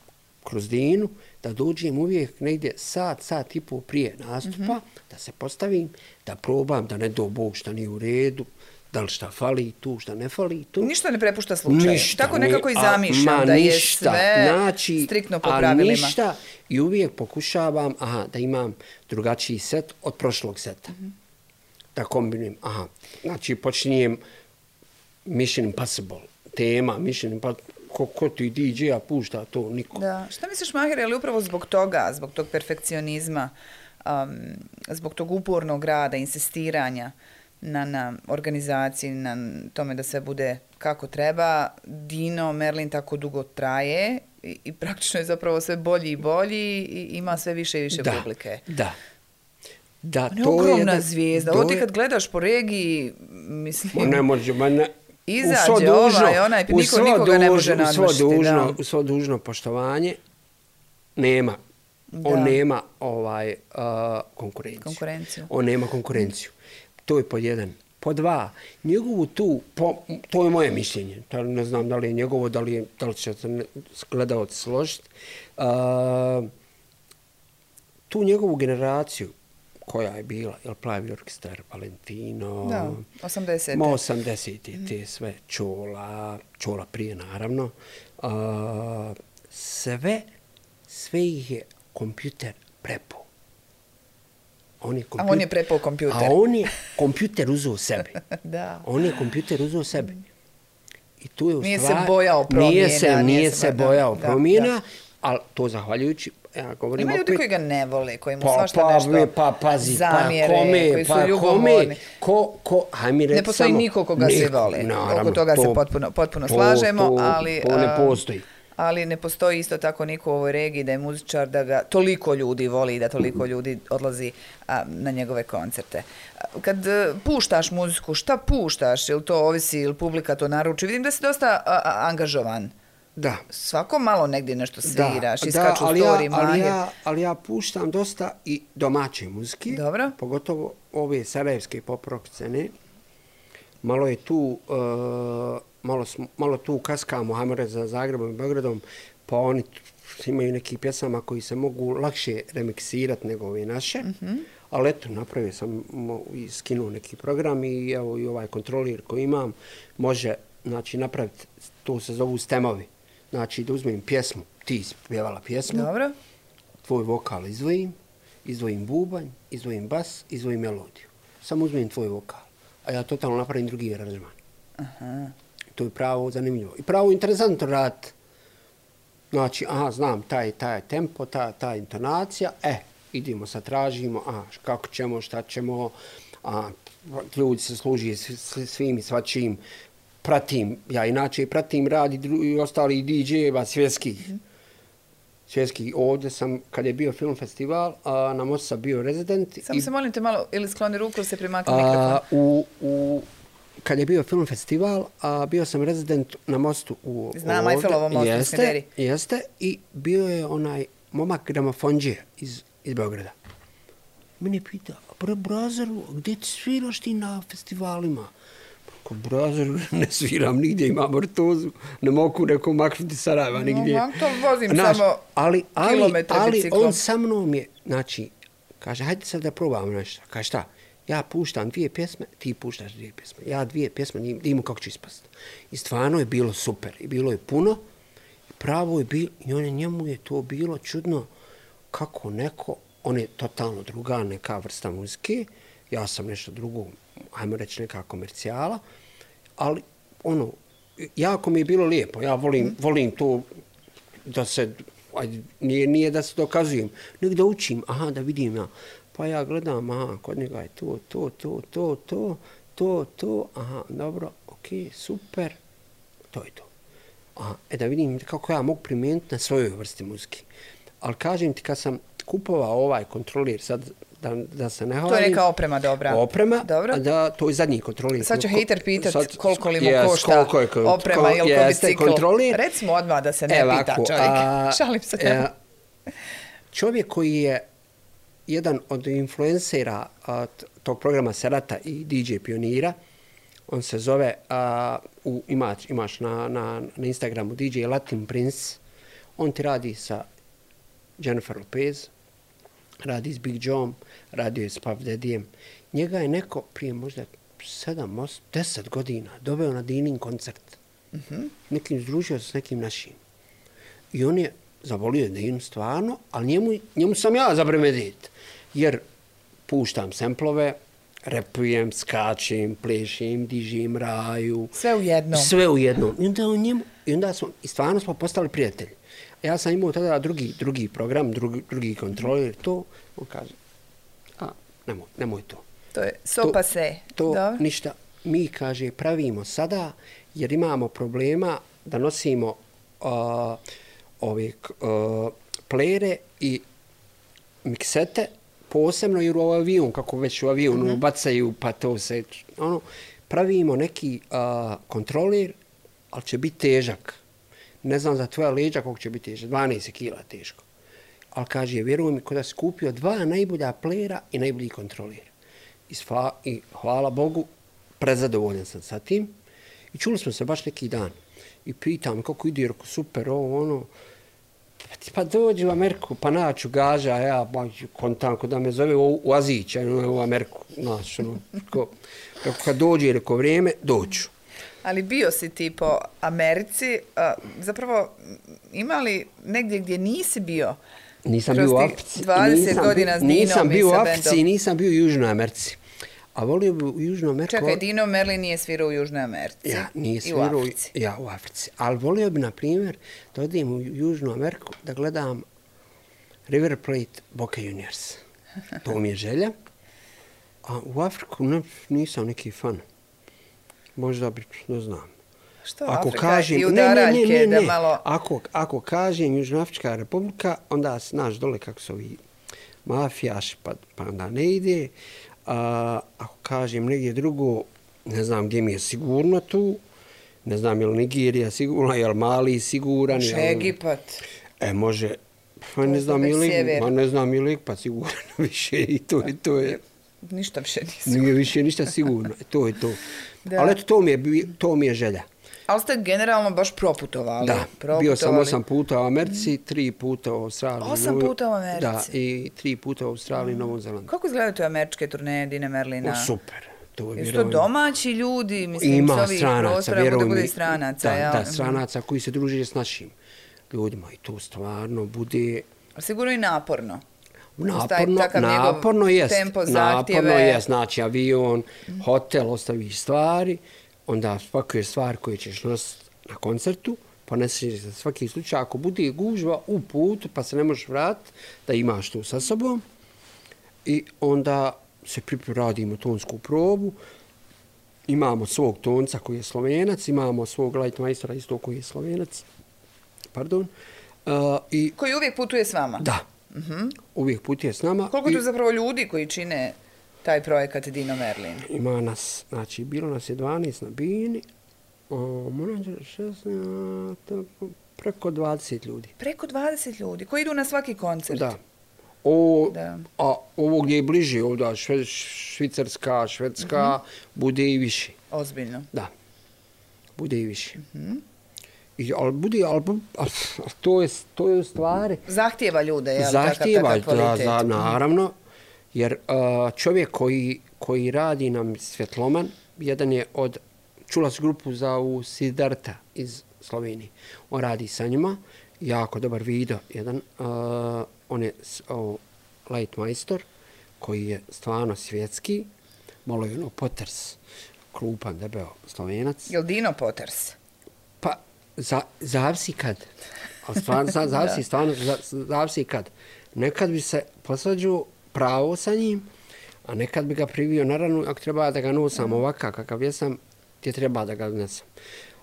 S2: kroz Dinu, da dođem uvijek negdje sat i pol prije nastupa, da se postavim, da probam, da ne do Bog šta nije u redu, da li šta fali tu, šta ne fali tu.
S1: Ništa ne prepušta slučaju. Tako nekako i zamišljam da je sve striktno po pravilima.
S2: Ništa, i uvijek pokušavam da imam drugačiji set od prošlog seta. Da kombinujem. Znači, počinjem Mission Impossible, tema Mission Impossible. Ko ti DJ-a pušta to, niko.
S1: Da. Šta misliš, Maher, je li upravo zbog toga, zbog tog perfekcionizma, zbog tog upornog rada, insistiranja na organizaciji, na tome da sve bude kako treba, Dino Merlin tako dugo traje i praktično je zapravo sve bolji i bolji i ima sve više i više publike.
S2: Da.
S1: On je ogromna zvijezda. Ovo ti kad gledaš po regiji, mislim...
S2: Ne može,
S1: izađe onaj, nikoga ne može nadmašiti.
S2: U svo dužno poštovanje nema. On nema konkurenciju. On nema konkurenciju. To je pod jedan. Pod dva, njegovu tu, to je moje mišljenje, ne znam da li je njegovo, da li će se gledalci složiti, tu njegovu generaciju koja je bila, Plavi orkestar, Valentino,
S1: da, 80.
S2: 80. te sve, Čola prije naravno, sve ih je kompjuter prepao.
S1: A on je prepao kompjuter.
S2: A on je kompjuter uzeo sebi.
S1: Da.
S2: On je kompjuter uzeo sebi. I tu je u
S1: nije
S2: stvari,
S1: se bojao promjena.
S2: Nije se bojao promjena, ali to zahvaljujući, ja govorim
S1: opet... Ima ljudi koji ga ne vole, koji mu svašta nešto zamjere, koji su ljubomorni.
S2: Ne
S1: postoji niko koga se vole. Oko toga se potpuno slažemo, ali...
S2: To ne postoji.
S1: Ali ne postoji isto tako niko u ovoj regiji da je muzičar, da ga toliko ljudi voli i da toliko ljudi odlazi na njegove koncerte. Kad puštaš muziku, šta puštaš? Ili to ovisi, ili publika to naruči? Vidim da si dosta angažovan.
S2: Da.
S1: Svako malo negdje nešto sviraš, iskaču story, Mahir.
S2: Ali ja puštam dosta i domaće muzike.
S1: Dobro.
S2: Pogotovo ove sarajevske pop-rock scene. Malo je tu... Malo tu kaskamo, hajmo reći, za Zagrebom i Beogradom, pa oni imaju neki pjesama koji se mogu lakše remiksirati nego ove naše. Ali eto, napravio sam i skinuo neki program i evo i ovaj kontrolir koji imam može, znači, napraviti, to se zovu stemovi. Znači, da uzmem pjesmu, ti ispjevala pjesmu,
S1: dobro,
S2: tvoj vokal izdvojim bubanj, izdvojim bas, izdvojim melodiju. Samo uzmem tvoj vokal, a ja totalno napravim drugi aranžman.
S1: Aha.
S2: To je pravo zanimljivo. I pravo interesantno raditi. Znači, znam, taj tempo, ta intonacija, idemo sad, tražimo, kako ćemo, šta ćemo, ljudi se služi svim i svačim, pratim, ja inače pratim rad i ostali DJ-eva svjetskih. Svjetski. Ovdje sam, kad je bio film festival, na mostu sam bio rezident.
S1: Samo se molim te malo, ili skloni ruku ili se primakni mikrofon.
S2: Kad je bio film festival, bio sam rezident na mostu u...
S1: Znam, Eiffelovom mostu u Smederi.
S2: Jeste, i bio je onaj momak gramofonđija iz Beograda. Mene pita, Brazaru, gdje ti sviraš ti na festivalima? Ko Brazaru ne sviram nigdje, imam ortozu, ne mogu neko maknuti Sarajeva nigdje.
S1: To vozim samo kilometre biciklom.
S2: Ali on sa mnom je, znači, kaže, hajde sad da probamo nešto. Kaže, šta? Ja puštam 2 pjesme, ti puštaš 2 pjesme. Ja 2 pjesme, vidimo kako će ispast. I stvarno je bilo super. I bilo je puno. Pravo je bilo, i njemu je to bilo čudno kako neko, on je totalno druga neka vrsta muzike. Ja sam nešto drugo, ajmo reći neka komercijala. Ali, jako mi je bilo lijepo. Ja volim to da se, nije da se dokazujem, nego da učim, da vidim ja. Pa ja gledam, kod njega je to, dobro, okej, super, to je to. Da vidim kako ja mogu primijeniti na svojoj vrsti muzike. Ali kažem ti, kad sam kupovao ovaj kontrolir, sad da se ne hvalim...
S1: To je neka oprema dobra.
S2: Oprema, da, to je zadnji kontrolir.
S1: Sad će hejter pitat koliko li mu košta oprema ili ko bicikl. Recimo odmah da se ne pita čovjek. Šalim se tebe.
S2: Čovjek koji je jedan od influencera tog programa Serata i DJ Pionira, on se zove, imaš na Instagramu DJ Latin Prince, on ti radi sa Jennifer Lopez, radi s Big John, radio je s Puff Daddyjem. Njega je neko prije možda 7-10 godina doveo na Dinin koncert. Nekim združio se s nekim našim. I on je zavolio Dinu stvarno, ali njemu sam ja za premedit. Jer puštam semplove, repujem, skačem, plešem, dižem, raju.
S1: Sve u jednom.
S2: Sve u jednom. I onda stvarno smo postali prijatelji. Ja sam imao tada drugi program, drugi kontroler, to, on kaže, nemoj to.
S1: To je sopa se.
S2: To ništa. Mi, kaže, pravimo sada, jer imamo problema da nosimo ove plere i miksete, posebno jer u avion, kako već u avionu bacaju, pa to se, pravimo neki kontroler, ali će biti težak. Ne znam za tvoja leđa koliko će biti težak, 12 kila teško. Ali kaže, vjeruj mi, kada si kupio 2 najbolja plera i najbolji kontroler. i hvala Bogu, prezadovoljan sam sa tim. I čuli smo se baš neki dan. I pitam kako ide, rekao, super, ovo, ono. Pa dođi u Ameriku, pa naću gaža, ja kontanko da me zove u Azića, u Ameriku, znaš, ono. Kad dođe, rekao, vrijeme, doću.
S1: Ali bio si ti po Americi, zapravo ima li negdje gdje nisi bio?
S2: Nisam bio u Africi.
S1: 20 godina s Dinom
S2: nisam bio
S1: i
S2: u
S1: sa
S2: Africi
S1: bendom.
S2: i nisam bio u Južnoj Americi. A volio bi u Južnoj Americi...
S1: Čekaj, Dino Merlin nije svirao u Južnoj Americi.
S2: Ja, nije
S1: I
S2: svirao
S1: u Africi.
S2: Ja, u Africi. Ali volio bi, na primjer, da odem u Južnu Ameriku da gledam River Plate Boca Juniors. To mi je želja. A u Afriku nisam neki fan. Možda bi, ne znam.
S1: Što
S2: Ako
S1: Afrika
S2: kažem,
S1: i udaraljke da malo...
S2: Ako kažem Južnoafrička republika, onda znaš dole kako su ovi mafijaši, pa onda ne ide. Ako kažem negdje drugo, ne znam gdje mi je sigurno tu. Ne znam je li Nigerija sigurna, je li Mali siguran.
S1: Može Egipat.
S2: Može. Pa ne znam je li Egipat siguran više i to je.
S1: Ništa više nije
S2: Nije više ništa sigurno. To je to. Ali eto, to mi je želja.
S1: Ali ste generalno baš proputovali.
S2: Da, bio sam 8 puta u Americi, 3 puta u Australiji.
S1: 8 puta u Americi?
S2: Da, i 3 puta u Australiji i Novom Zelandu.
S1: Kako izgledaju te američke turneje Dina Merlina?
S2: Super.
S1: Jesu to domaći ljudi? Mislim,
S2: ima stranaca, vjerujem mi.
S1: Bude stranaca.
S2: Da, stranaca koji se druže s našim ljudima. I to stvarno bude...
S1: Sigurno i naporno.
S2: Naporno jest.
S1: Tempo, zahtjeve.
S2: Naporno jest. Znači, avion, hotel, ostaviš stvari. Onda svake stvari koje ćeš nositi na koncertu, poneseš za svaki slučaj. Ako bude gužva u putu, pa se ne možeš vratiti, da imaš to sa sobom. I onda se radimo tonsku probu. Imamo svog tonca koji je Slovenac, imamo svog lightmeistera isto koji je Slovenac. Pardon.
S1: Koji uvijek putuje s vama?
S2: Da. Uvijek putuje s nama.
S1: Koliko tu zapravo ljudi koji čine taj projekat Dino Merlin?
S2: Ima nas, znači, bilo nas je 12 na Bini, preko 20 ljudi.
S1: Preko 20 ljudi, koji idu na svaki koncert?
S2: Da. A ovo gdje je bliže, ovdje Švicarska, Švedska, bude i više.
S1: Ozbiljno?
S2: Da, bude i više. Ali to je u stvari...
S1: Zahtijeva ljude, je li?
S2: Zahtijeva, da, naravno. Jer čovjek koji radi nam Svjetloman, jedan je od, čula s grupu za Siddharta iz Slovenije. On radi sa njima, jako dobar video jedan. On je lightmeister koji je stvarno svjetski, malo je Potters, klupan, debeo Slovenac.
S1: Je li Dino Potters?
S2: Pa, zavisi kad. Zavisi kad. Nekad bi se posvađao pravo sa njim, a nekad bi ga privio na ranu, ako treba da ga nosam ovakav kakav jesam, ti treba da ga nesam.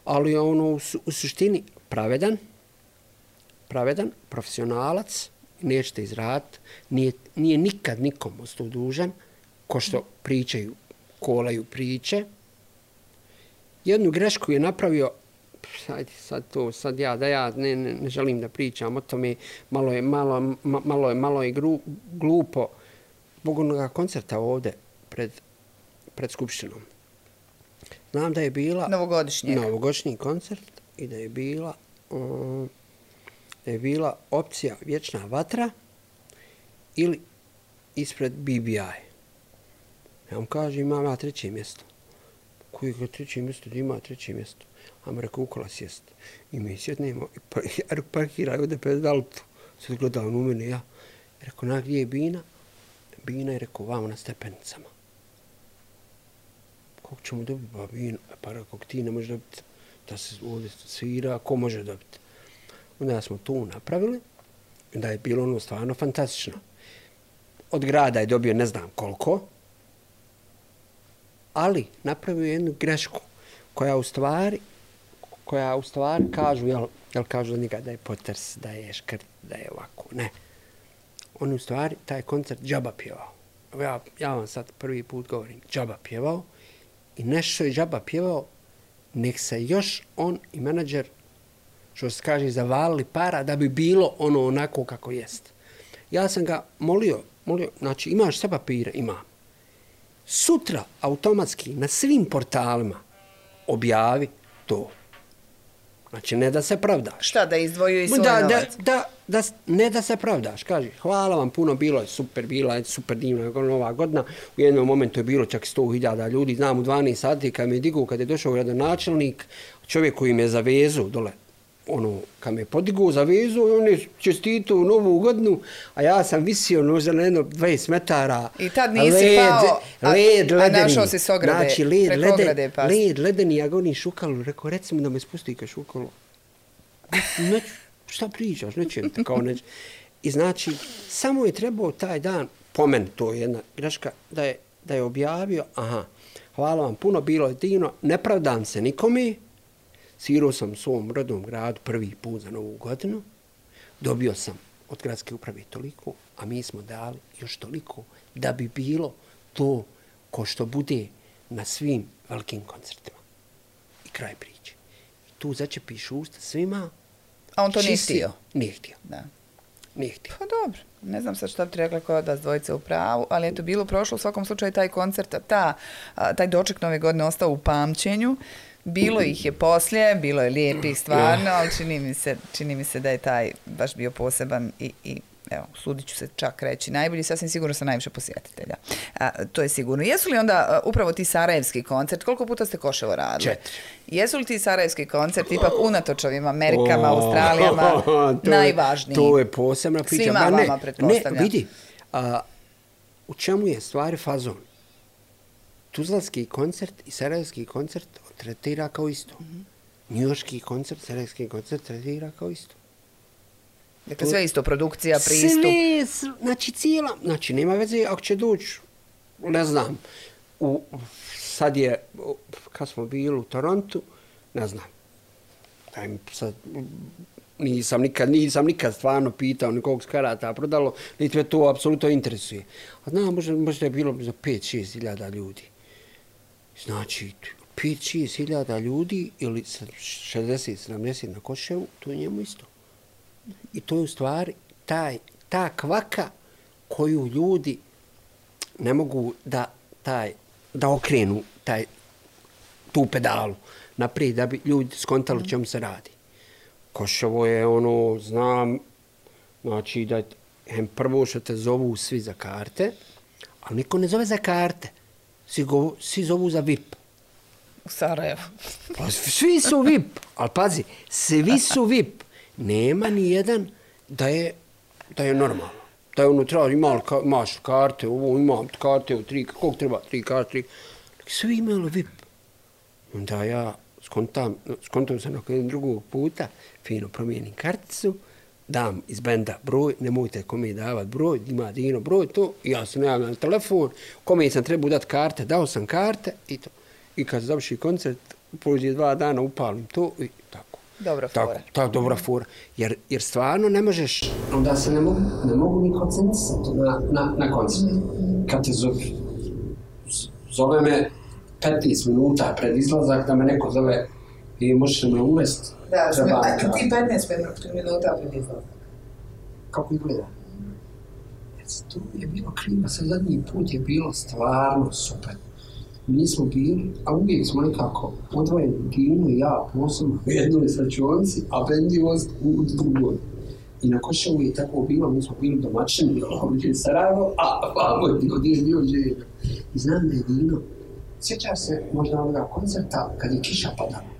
S2: Ali ono u suštini pravedan, profesionalac, nećete izraditi, nije nikad nikom ostao dužan, ko što pričaju, kolaju priče. Jednu grešku je napravio, sad ja ne želim da pričam o tome, malo je glupo, zbog onoga koncerta ovdje pred Skupštinom. Znam da je bila... Novogodišnji koncert i da je bila opcija Vječna vatra ili ispred BBI. Ja vam kažem, imam ja 3. mjesto. Koji je 3. mjesto? Da ima 3. mjesto. A me rekao, ukola sjest. I mi sjetnemo, parkiraj ovdje pred Alpu. Sad gledam u mene, ja. Rekao, gdje je Bina? Bina je rekao, vamo na stepenicama. Kako ćemo dobiti? Pa Bina, pa rekao, ti ne možeš dobiti da se ovdje svira, ko može dobiti? Onda smo to napravili, da je bilo ono stvarno fantastično. Od grada je dobio ne znam koliko, ali napravio jednu grešku koja u stvari kažu, jel kažu za njega da je Potters, da je škrt, da je ovako, ne. On u stvari taj koncert džaba pjevao. Ja vam sad prvi put govorim, džaba pjevao i nešto je džaba pjevao, nek se još on i menadžer, što se kaže, zavalili para da bi bilo ono onako kako jest. Ja sam ga molio, znači imaš sve papire? Imam. sutra automatski na svim portalima objavi to. Znači, ne da se pravdaš.
S1: Šta, da izdvojio i svoj novac?
S2: Ne da se pravdaš. Kaži, hvala vam puno, bilo je super, bila je super divna nova godina. U jednom momentu je bilo čak 100.000 ljudi. Znam, u 12 sati kad me digu, kad je došao gradonačelnik, čovjek koji me za vezu dole, kad me podigao za vezu, on je čestitao novu godinu, a ja sam visio možda na jedno 20 metara.
S1: I tad nisi pao, a našao si s ograde,
S2: znači,
S1: preko ograde pas.
S2: Led ledeni, ja govorim Šukalu, rekao, reci mi da me spusti ka Šukalu. Šta pričaš, nećem te kao neće. I znači, samo je trebao taj dan, po meni to je jedna greška, da je objavio, hvala vam puno, bilo je divno, ne pravdam se nikome, svirao sam u svom rodnom gradu prvi put za novu godinu, dobio sam od gradske uprave toliko, a mi smo dali još toliko da bi bilo to ko što bude na svim velikim koncertima. I kraj priče. I tu začepiš usta svima.
S1: A on to nije htio?
S2: Nije htio.
S1: Da.
S2: Nije htio.
S1: Pa dobro. Ne znam sad šta bi ti rekla koja da s dvojice u pravu, ali je to bilo prošlo u svakom slučaju taj koncert, taj doček Nove godine ostao u pamćenju. Bilo ih je poslije, bilo je lijepih stvarno, ali čini mi se da je taj baš bio poseban i evo, sudit ću se čak reći najbolji, sasvim sigurno sa najviše posjetitelja. To je sigurno. Jesu li onda upravo ti sarajevski koncert, koliko puta ste Koševo radili?
S2: 4.
S1: Jesu li ti sarajevski koncert ipak unatoč ovim Amerikama, Australijama najvažniji?
S2: To je posebna priča.
S1: Svima vama pretpostavljam.
S2: Ne, vidi, u čemu je stvari fazon? Tuzlanski koncert i sarajevski koncert tretira kao isto. Njujorški koncert, sarajevski koncert tretira kao isto.
S1: Dakle, sve isto, produkcija, pristup.
S2: Sve, znači cijela, znači nema veze ako će doći, ne znam, sad je, kad smo bili u Torontu, ne znam, sad, nisam nikad stvarno pitao nikog karata prodalo, niti me to apsolutno interesuje. A znam, možda je bilo za 5-6 hiljada ljudi. Znači, 5-6 hiljada ljudi ili 60-70 na Koševu, to je njemu isto. I to je u stvari ta kvaka koju ljudi ne mogu da okrenu tu pedalu naprijed da bi ljudi skontali čemu se radi. Koševo je znam, znači da prvo što te zovu svi za karte, ali niko ne zove za karte. Svi zovu za VIP.
S1: U Sarajevu.
S2: Pa svi su VIP, ali pazi, svi su VIP. Nema ni jedan da je normalno. Da je unutra, imaš karte, imam karte, koliko treba, 3 karte. Svi imali VIP. Onda ja skontam se nakon jednog drugog puta, fino promijenim karticu, dam iz benda broj, nemojte kome davati broj, ima Dino broj, to, ja sam javljam na telefon, kome sam trebao dati karte, dao sam karte i to. I kad završi koncert, prođe 2 dana, upalim to i tako.
S1: Dobra fora.
S2: Tako, dobra fora. Jer stvarno ne možeš, onda se ne mogu ni koncentrisati na koncert. Kad te zove me 15 minuta pred izlazak, da me neko zove i možeš me uvesti.
S1: Da, ti 15 minuta pred izlazak.
S2: Kako izgleda? To je bilo krivo, sa zadnji put je bilo stvarno super. Mi smo bili, a uvijek smo nekako odvojeni, Dino i ja posebno u jednoj slačionici, a bendioz u drugoj. I na Koševu je tako bilo, mi smo bili domaćini, ovdje Sarajevo, a vamo je bio Želja. I znam da je Dino, sjećaš se možda onoga koncerta kad je kiša padala,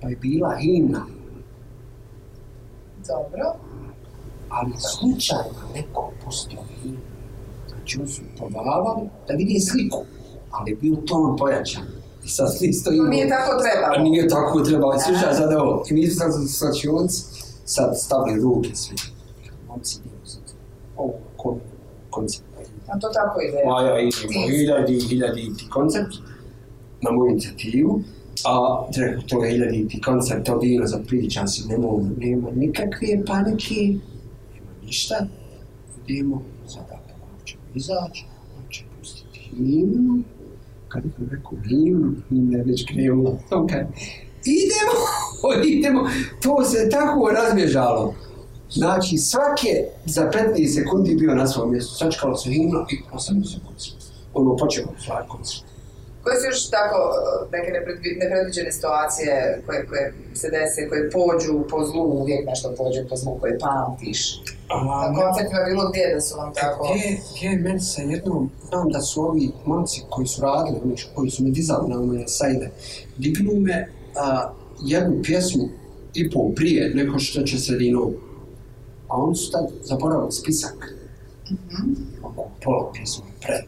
S2: pa je bila himna.
S1: Dobro.
S2: Ali slučajno neko pustio himnu. Znači oni su probavali da vidi sliku. Ali je bio ton pojačan. I sad isto imao...
S1: Nije tako trebalo.
S2: Nije tako trebalo. Slušaj, sad ovo. I mi smo slačionci sad stavili ruke svi. Momci idemo sad. Ovo koncept.
S1: A to tako ide?
S2: Ja idemo hiljaditi koncept na moju inicijativu. A to je hiljaditi koncept od Dino za pričam si. Nema nikakve panike. Nema ništa. Idemo sada. Ćemo izaći. On će pustiti himnu. Kad sam rekao himna je već krenula. Okay. Idemo. To se tako razbježalo. Znači, svake za 15 sekundi bio na svom mjestu. Sačekalo se himno i 8 sekundi. počeo stvari koncert.
S1: Koje su još tako neke nepredviđene situacije koje se dese, koje pođu po zlu, uvijek nešto pođe po zlu koje pamtiš? Na koncertima bilo gdje da su vam tako?
S2: Gdje meni se jednom, znam da su ovi momci koji su radili, koji su me dizali na moje sajde, dignu me jednu pjesmu i pol prije neko što će sredinom. A oni su tad zaboravili spisak. Oko pola pjesmu pred.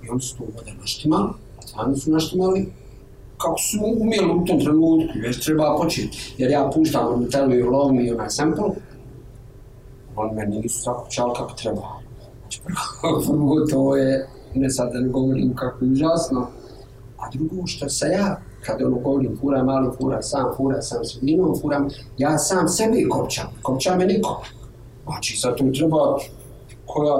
S2: I oni su to ovdje naštimali, stvarno su naštimali kako su umjeli u tom trenutku, već treba početi. Jer ja puštam na Tell Me You Love Me onaj sample, oni meni nisu zakućali kako treba. Znači prvo to je, ne sad da ne govorim kako je užasno, a drugo što se ja, kad govorim fura mali, fura sam sredinom, ja sam sebi kopčam me niko. Znači sad tu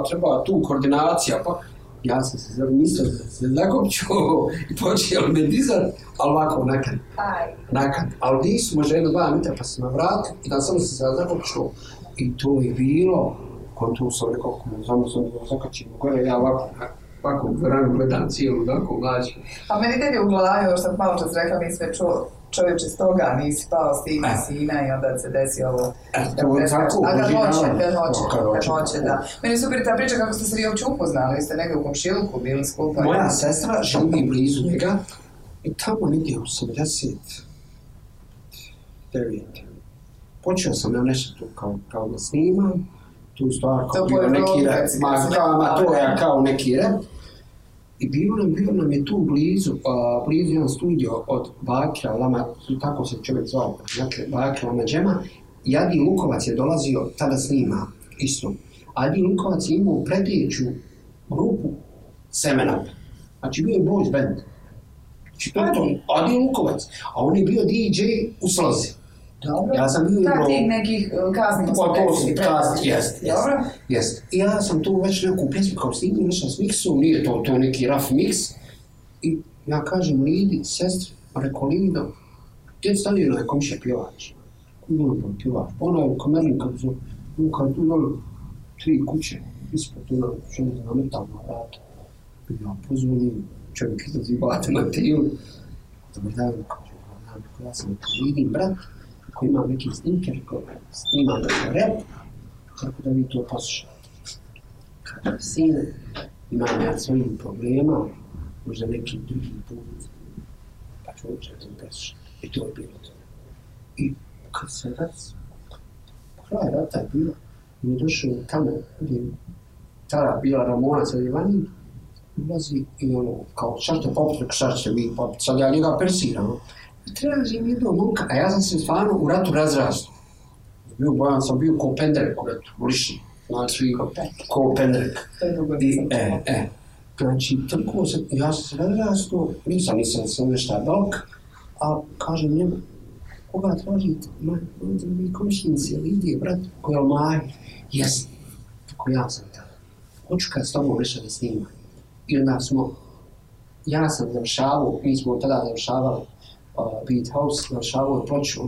S2: treba tu koordinacija, pa ja sam se mislio da se zakopčuo i počeo me dizat, ali ovako nakad. Ali nisu možda 1-2 metra pa sam na vratu i da samo se zakopčuo. I to je bilo, kontu sam rekao, samo sam zakačio gore, ja ovako vranu gledam cijelu, ovako mlađu.
S1: A meni tebi u glavi, ovo što sam malo čas rekla, nisi već čuo čovječe s toga, nisi pao stigne sina i onda se desi ovo. A kad hoće, da. Meni je super ta priča kako ste se vi uopće upoznali, ste negdje u komšiluku bili skupa.
S2: Moja sestra živi blizu njega i tamo negdje 89. Počeo sam ja nešto tu kao da snimam, tu stvar kao bio neki rap, to je kao neki rap. I bio nam je tu blizu jedan studio od Bakira Lama, tako se čovjek zvao, dakle Bakira Lama Džema, i Adi Lukovac je dolazio tada snima isto. Adi Lukovac je imao predjeću grupu Seven Up, znači bio je boys band. Znači to je to, Adi Lukovac, a on je bio DJ u Slozi.
S1: Dobro.
S2: Ja sam bio
S1: tako tih nekih kasnih
S2: jest. I ja sam tu već neku pjesmu kao snimio, nešto s miksom, nije to neki rough mix. I ja kažem Lidi, sestri, rekao Lido, gdje stavio na komšija pjevač? Pjevač, ona je u kamerni kad su, kad tu dole 3 kuće, ispod tu na metalna vrata. Ja pozvonim, čovjek izlazi bate na tijelu. Dobar dan, ja sam Lidin brat, koji ima neki snimker, koji snima rap, tako da vi to poslušate. Kaže, sine, imam ja svojim problema, možda neki drugi put, pa ću uopće to poslušati. I to je bilo to. I kad se kraj rata je bilo, mi je došao tamo gdje tada bila Ramona sa Ivani, ulazi i ono, kao šta ćete vi popiti, sad ja njega persiram. Tražim jednog momka, a ja sam se stvarno u ratu razrastao. Bojan sam bio ko penderek u ratu, lišni. Znači, ko penderek. Znači, tako sam, ja sam se razrastao, nisam nešto dok, a kažem njemu, koga tražite? Mi komšnici, Lidije, brat, koji je Almaj. Jesam, tako ja sam tada. Hoću kad s tobom nešto da snimam. I onda ja sam završavao, mi smo tada završavali Beat House, završavao je ploču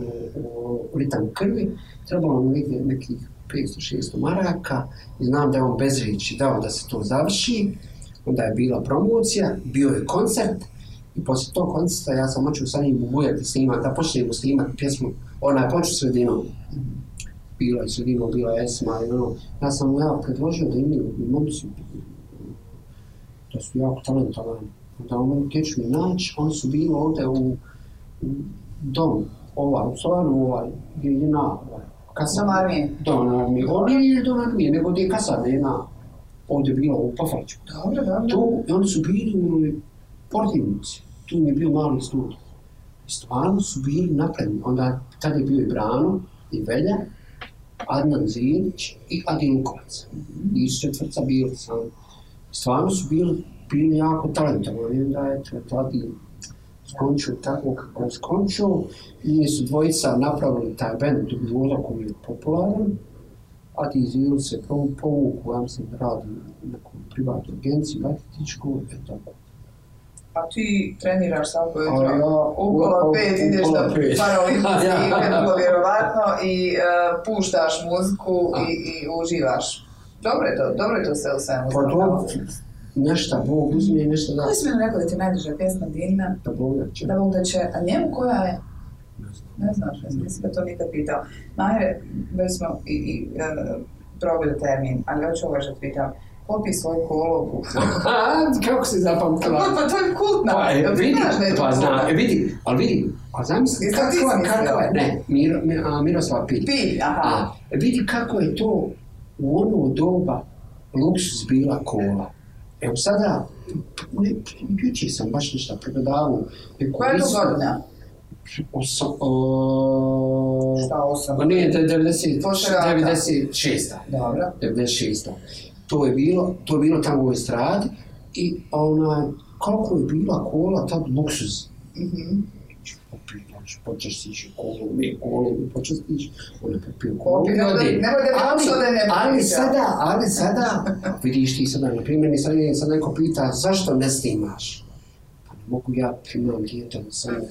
S2: u ritam krvi, trebalo mu negdje nekih 500-600 maraka i znam da je on bez riječi dao da se to završi, onda je bila promocija, bio je koncert i poslije tog koncerta ja sam hoću sa njim bubujati snimati, da počnemo snimati pjesmu, ona je poču sredinom. Bila je sredinom, bila je Esma i ono, ja sam mu predložio da imaju momci, da su jako talentovani, da oni tječu mi naći, oni su bili ovdje u dom, u Solanu, gdje je na kasarne.
S1: Dom armije?
S2: Dom armije. Ovo nije dom armije, nego gdje je kasarne jedna. Ovdje je bila u Pafraću.
S1: Dobro.
S2: Tu, oni su bili u Portivnici. Tu mi je bio mali studij. I stvarno su bili napredni. Onda, tada je bio i Brano, i Velja, Adnan Zilić i Adi Lukovac. I iz četvrca bili sami. Stvarno su bili jako talentovani. Onda je Adi skončio tako kako je skončio i su dvojica napravili taj band Dubiola koji je popularan, a ti Zil se povuku, ja mislim da radi u nekom privatnoj agenciji, marketičkoj, tako.
S1: A ti treniraš svako jutro, upola 5 ideš da paraolimpijski, vrlo vjerovatno, i puštaš muziku i uživaš. Dobro je to sve u svemu.
S2: nešto Bog uzme, nešto da...
S1: Koji si mi rekao da ti je najdraža pjesma Dina?
S2: Da Bog da će.
S1: Da Bog da će, a njemu koja je? Ne znaš, mislim da to nikad pitao. Mahire, već smo i probili termin, ali hoću ovo što pitam. Popi svoju kolobu.
S2: Kako si zapamtila?
S1: Pa to je kultna.
S2: Pa znam, vidi, ali vidi, a zamisli kako je, ne, Miroslav Pilj.
S1: Pilj, aha.
S2: Vidi kako je to u ono doba luksus bila kola. Evo sada, jučer sam baš nešto pregledavao.
S1: Koja je to godina?
S2: Ne, 96.
S1: Dobro.
S2: 96. To je bilo tamo u ovoj stradi i koliko je bila kola, tad luksuz. Počeš stići kolu, počeš stići, ona popio kolu. Ali sada, vidiš ti sada, na primjer, sad neko pita zašto ne snimaš? Pa ne mogu ja, imam dijete od 18 godina,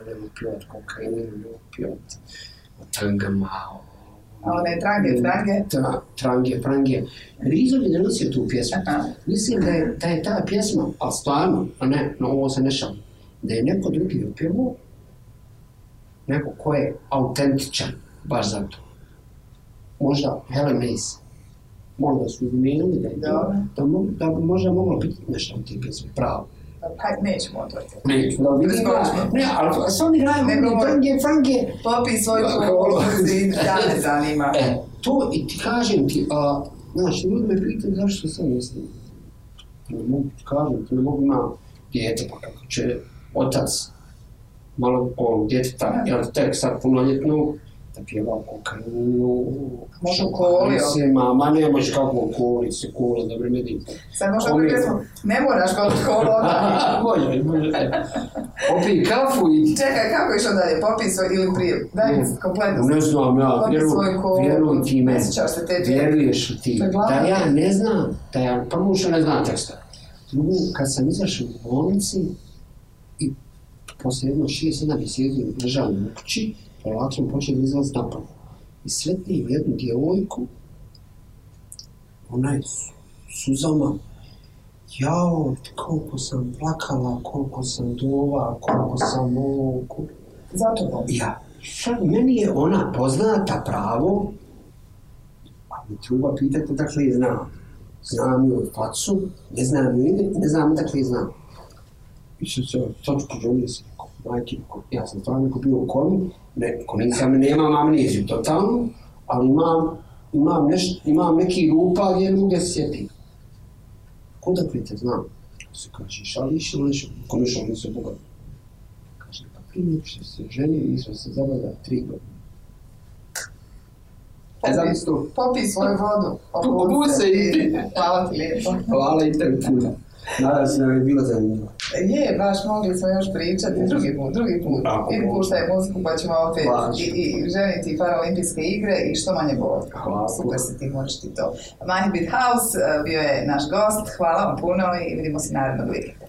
S2: ne mogu pjevati kokainu, ne mogu pjevati o tangama,
S1: a one trange.
S2: Trange. Rizo mi donosio tu pjesmu. Mislim da je ta pjesma, a stvarno, a ne, no ovo se ne šalim, da je neko drugi opjevao, neko ko je autentičan, baš za to. Možda Helen Mace. Možda su izmijenili da bi možda moglo biti nešto u tim pjesmi, pravo.
S1: Pa nećemo otvoriti.
S2: Nećemo. Ne, ali što mi radimo, frange.
S1: Popi svoju kolu, da ne zanima.
S2: To i ti kažem ti, znaš, ljudi me pitaju zašto sam mislim. Ne mogu ti kažem, ti ne mogu imati dijete, pa kako će otac malo djeteta, jel tek sad punoljetno, da pjeva kokainu.
S1: Može u koli,
S2: ma ne može kako u koli, se kola, dobro me dim.
S1: Sad možda da pjesmu, ne moraš goliti kolu onda.
S2: Može. Popij kafu i...
S1: Čekaj, kako išao dalje, popij svoj ili prije, daj mi kompletno.
S2: Ne znam ja,
S1: vjeruj
S2: ti me, vjeruješ ti, da ja ne znam, prvo što ne znam teksta. Drugo, kad sam izašao u bolnici i posle jedno 6-7 mjeseci ležao u kući, polako sam počeo izlaziti napolje. I sretnim jednu djevojku, ona je suzama, jao, koliko sam plakala, koliko sam dova, koliko sam ovo...
S1: Zato to?
S2: Ja. Meni je ona poznata pravo, a mi treba pitati dakle je znam. Znam joj facu, ne znam ime, ne znam dakle je znam. I sad poželio sam, majke, ja sam stvarno neko bio u komi, nemam amneziju totalno, ali imam neki rupa gdje ne mogu da se sjetim. Kuda te znam? Se kaže, šališ ili nešto? Komišao nisu bogati. Kaže, pa prije nego što se ženio, mi smo se zabavljali 3 godine.
S1: Popi svoju vodu.
S2: Obuci se i...
S1: Hvala ti lijepo.
S2: Hvala i tebi puno. Nadam se da je bilo zanimljivo.
S1: Je, baš mogli smo još pričati drugi put. Idi puštaj muziku pa ćemo opet i ženiti Paraolimpijske igre i što manje boli. Super si ti, možeš ti to. Mahir Bit House bio je naš gost, hvala vam puno i vidimo se narednog vikenda.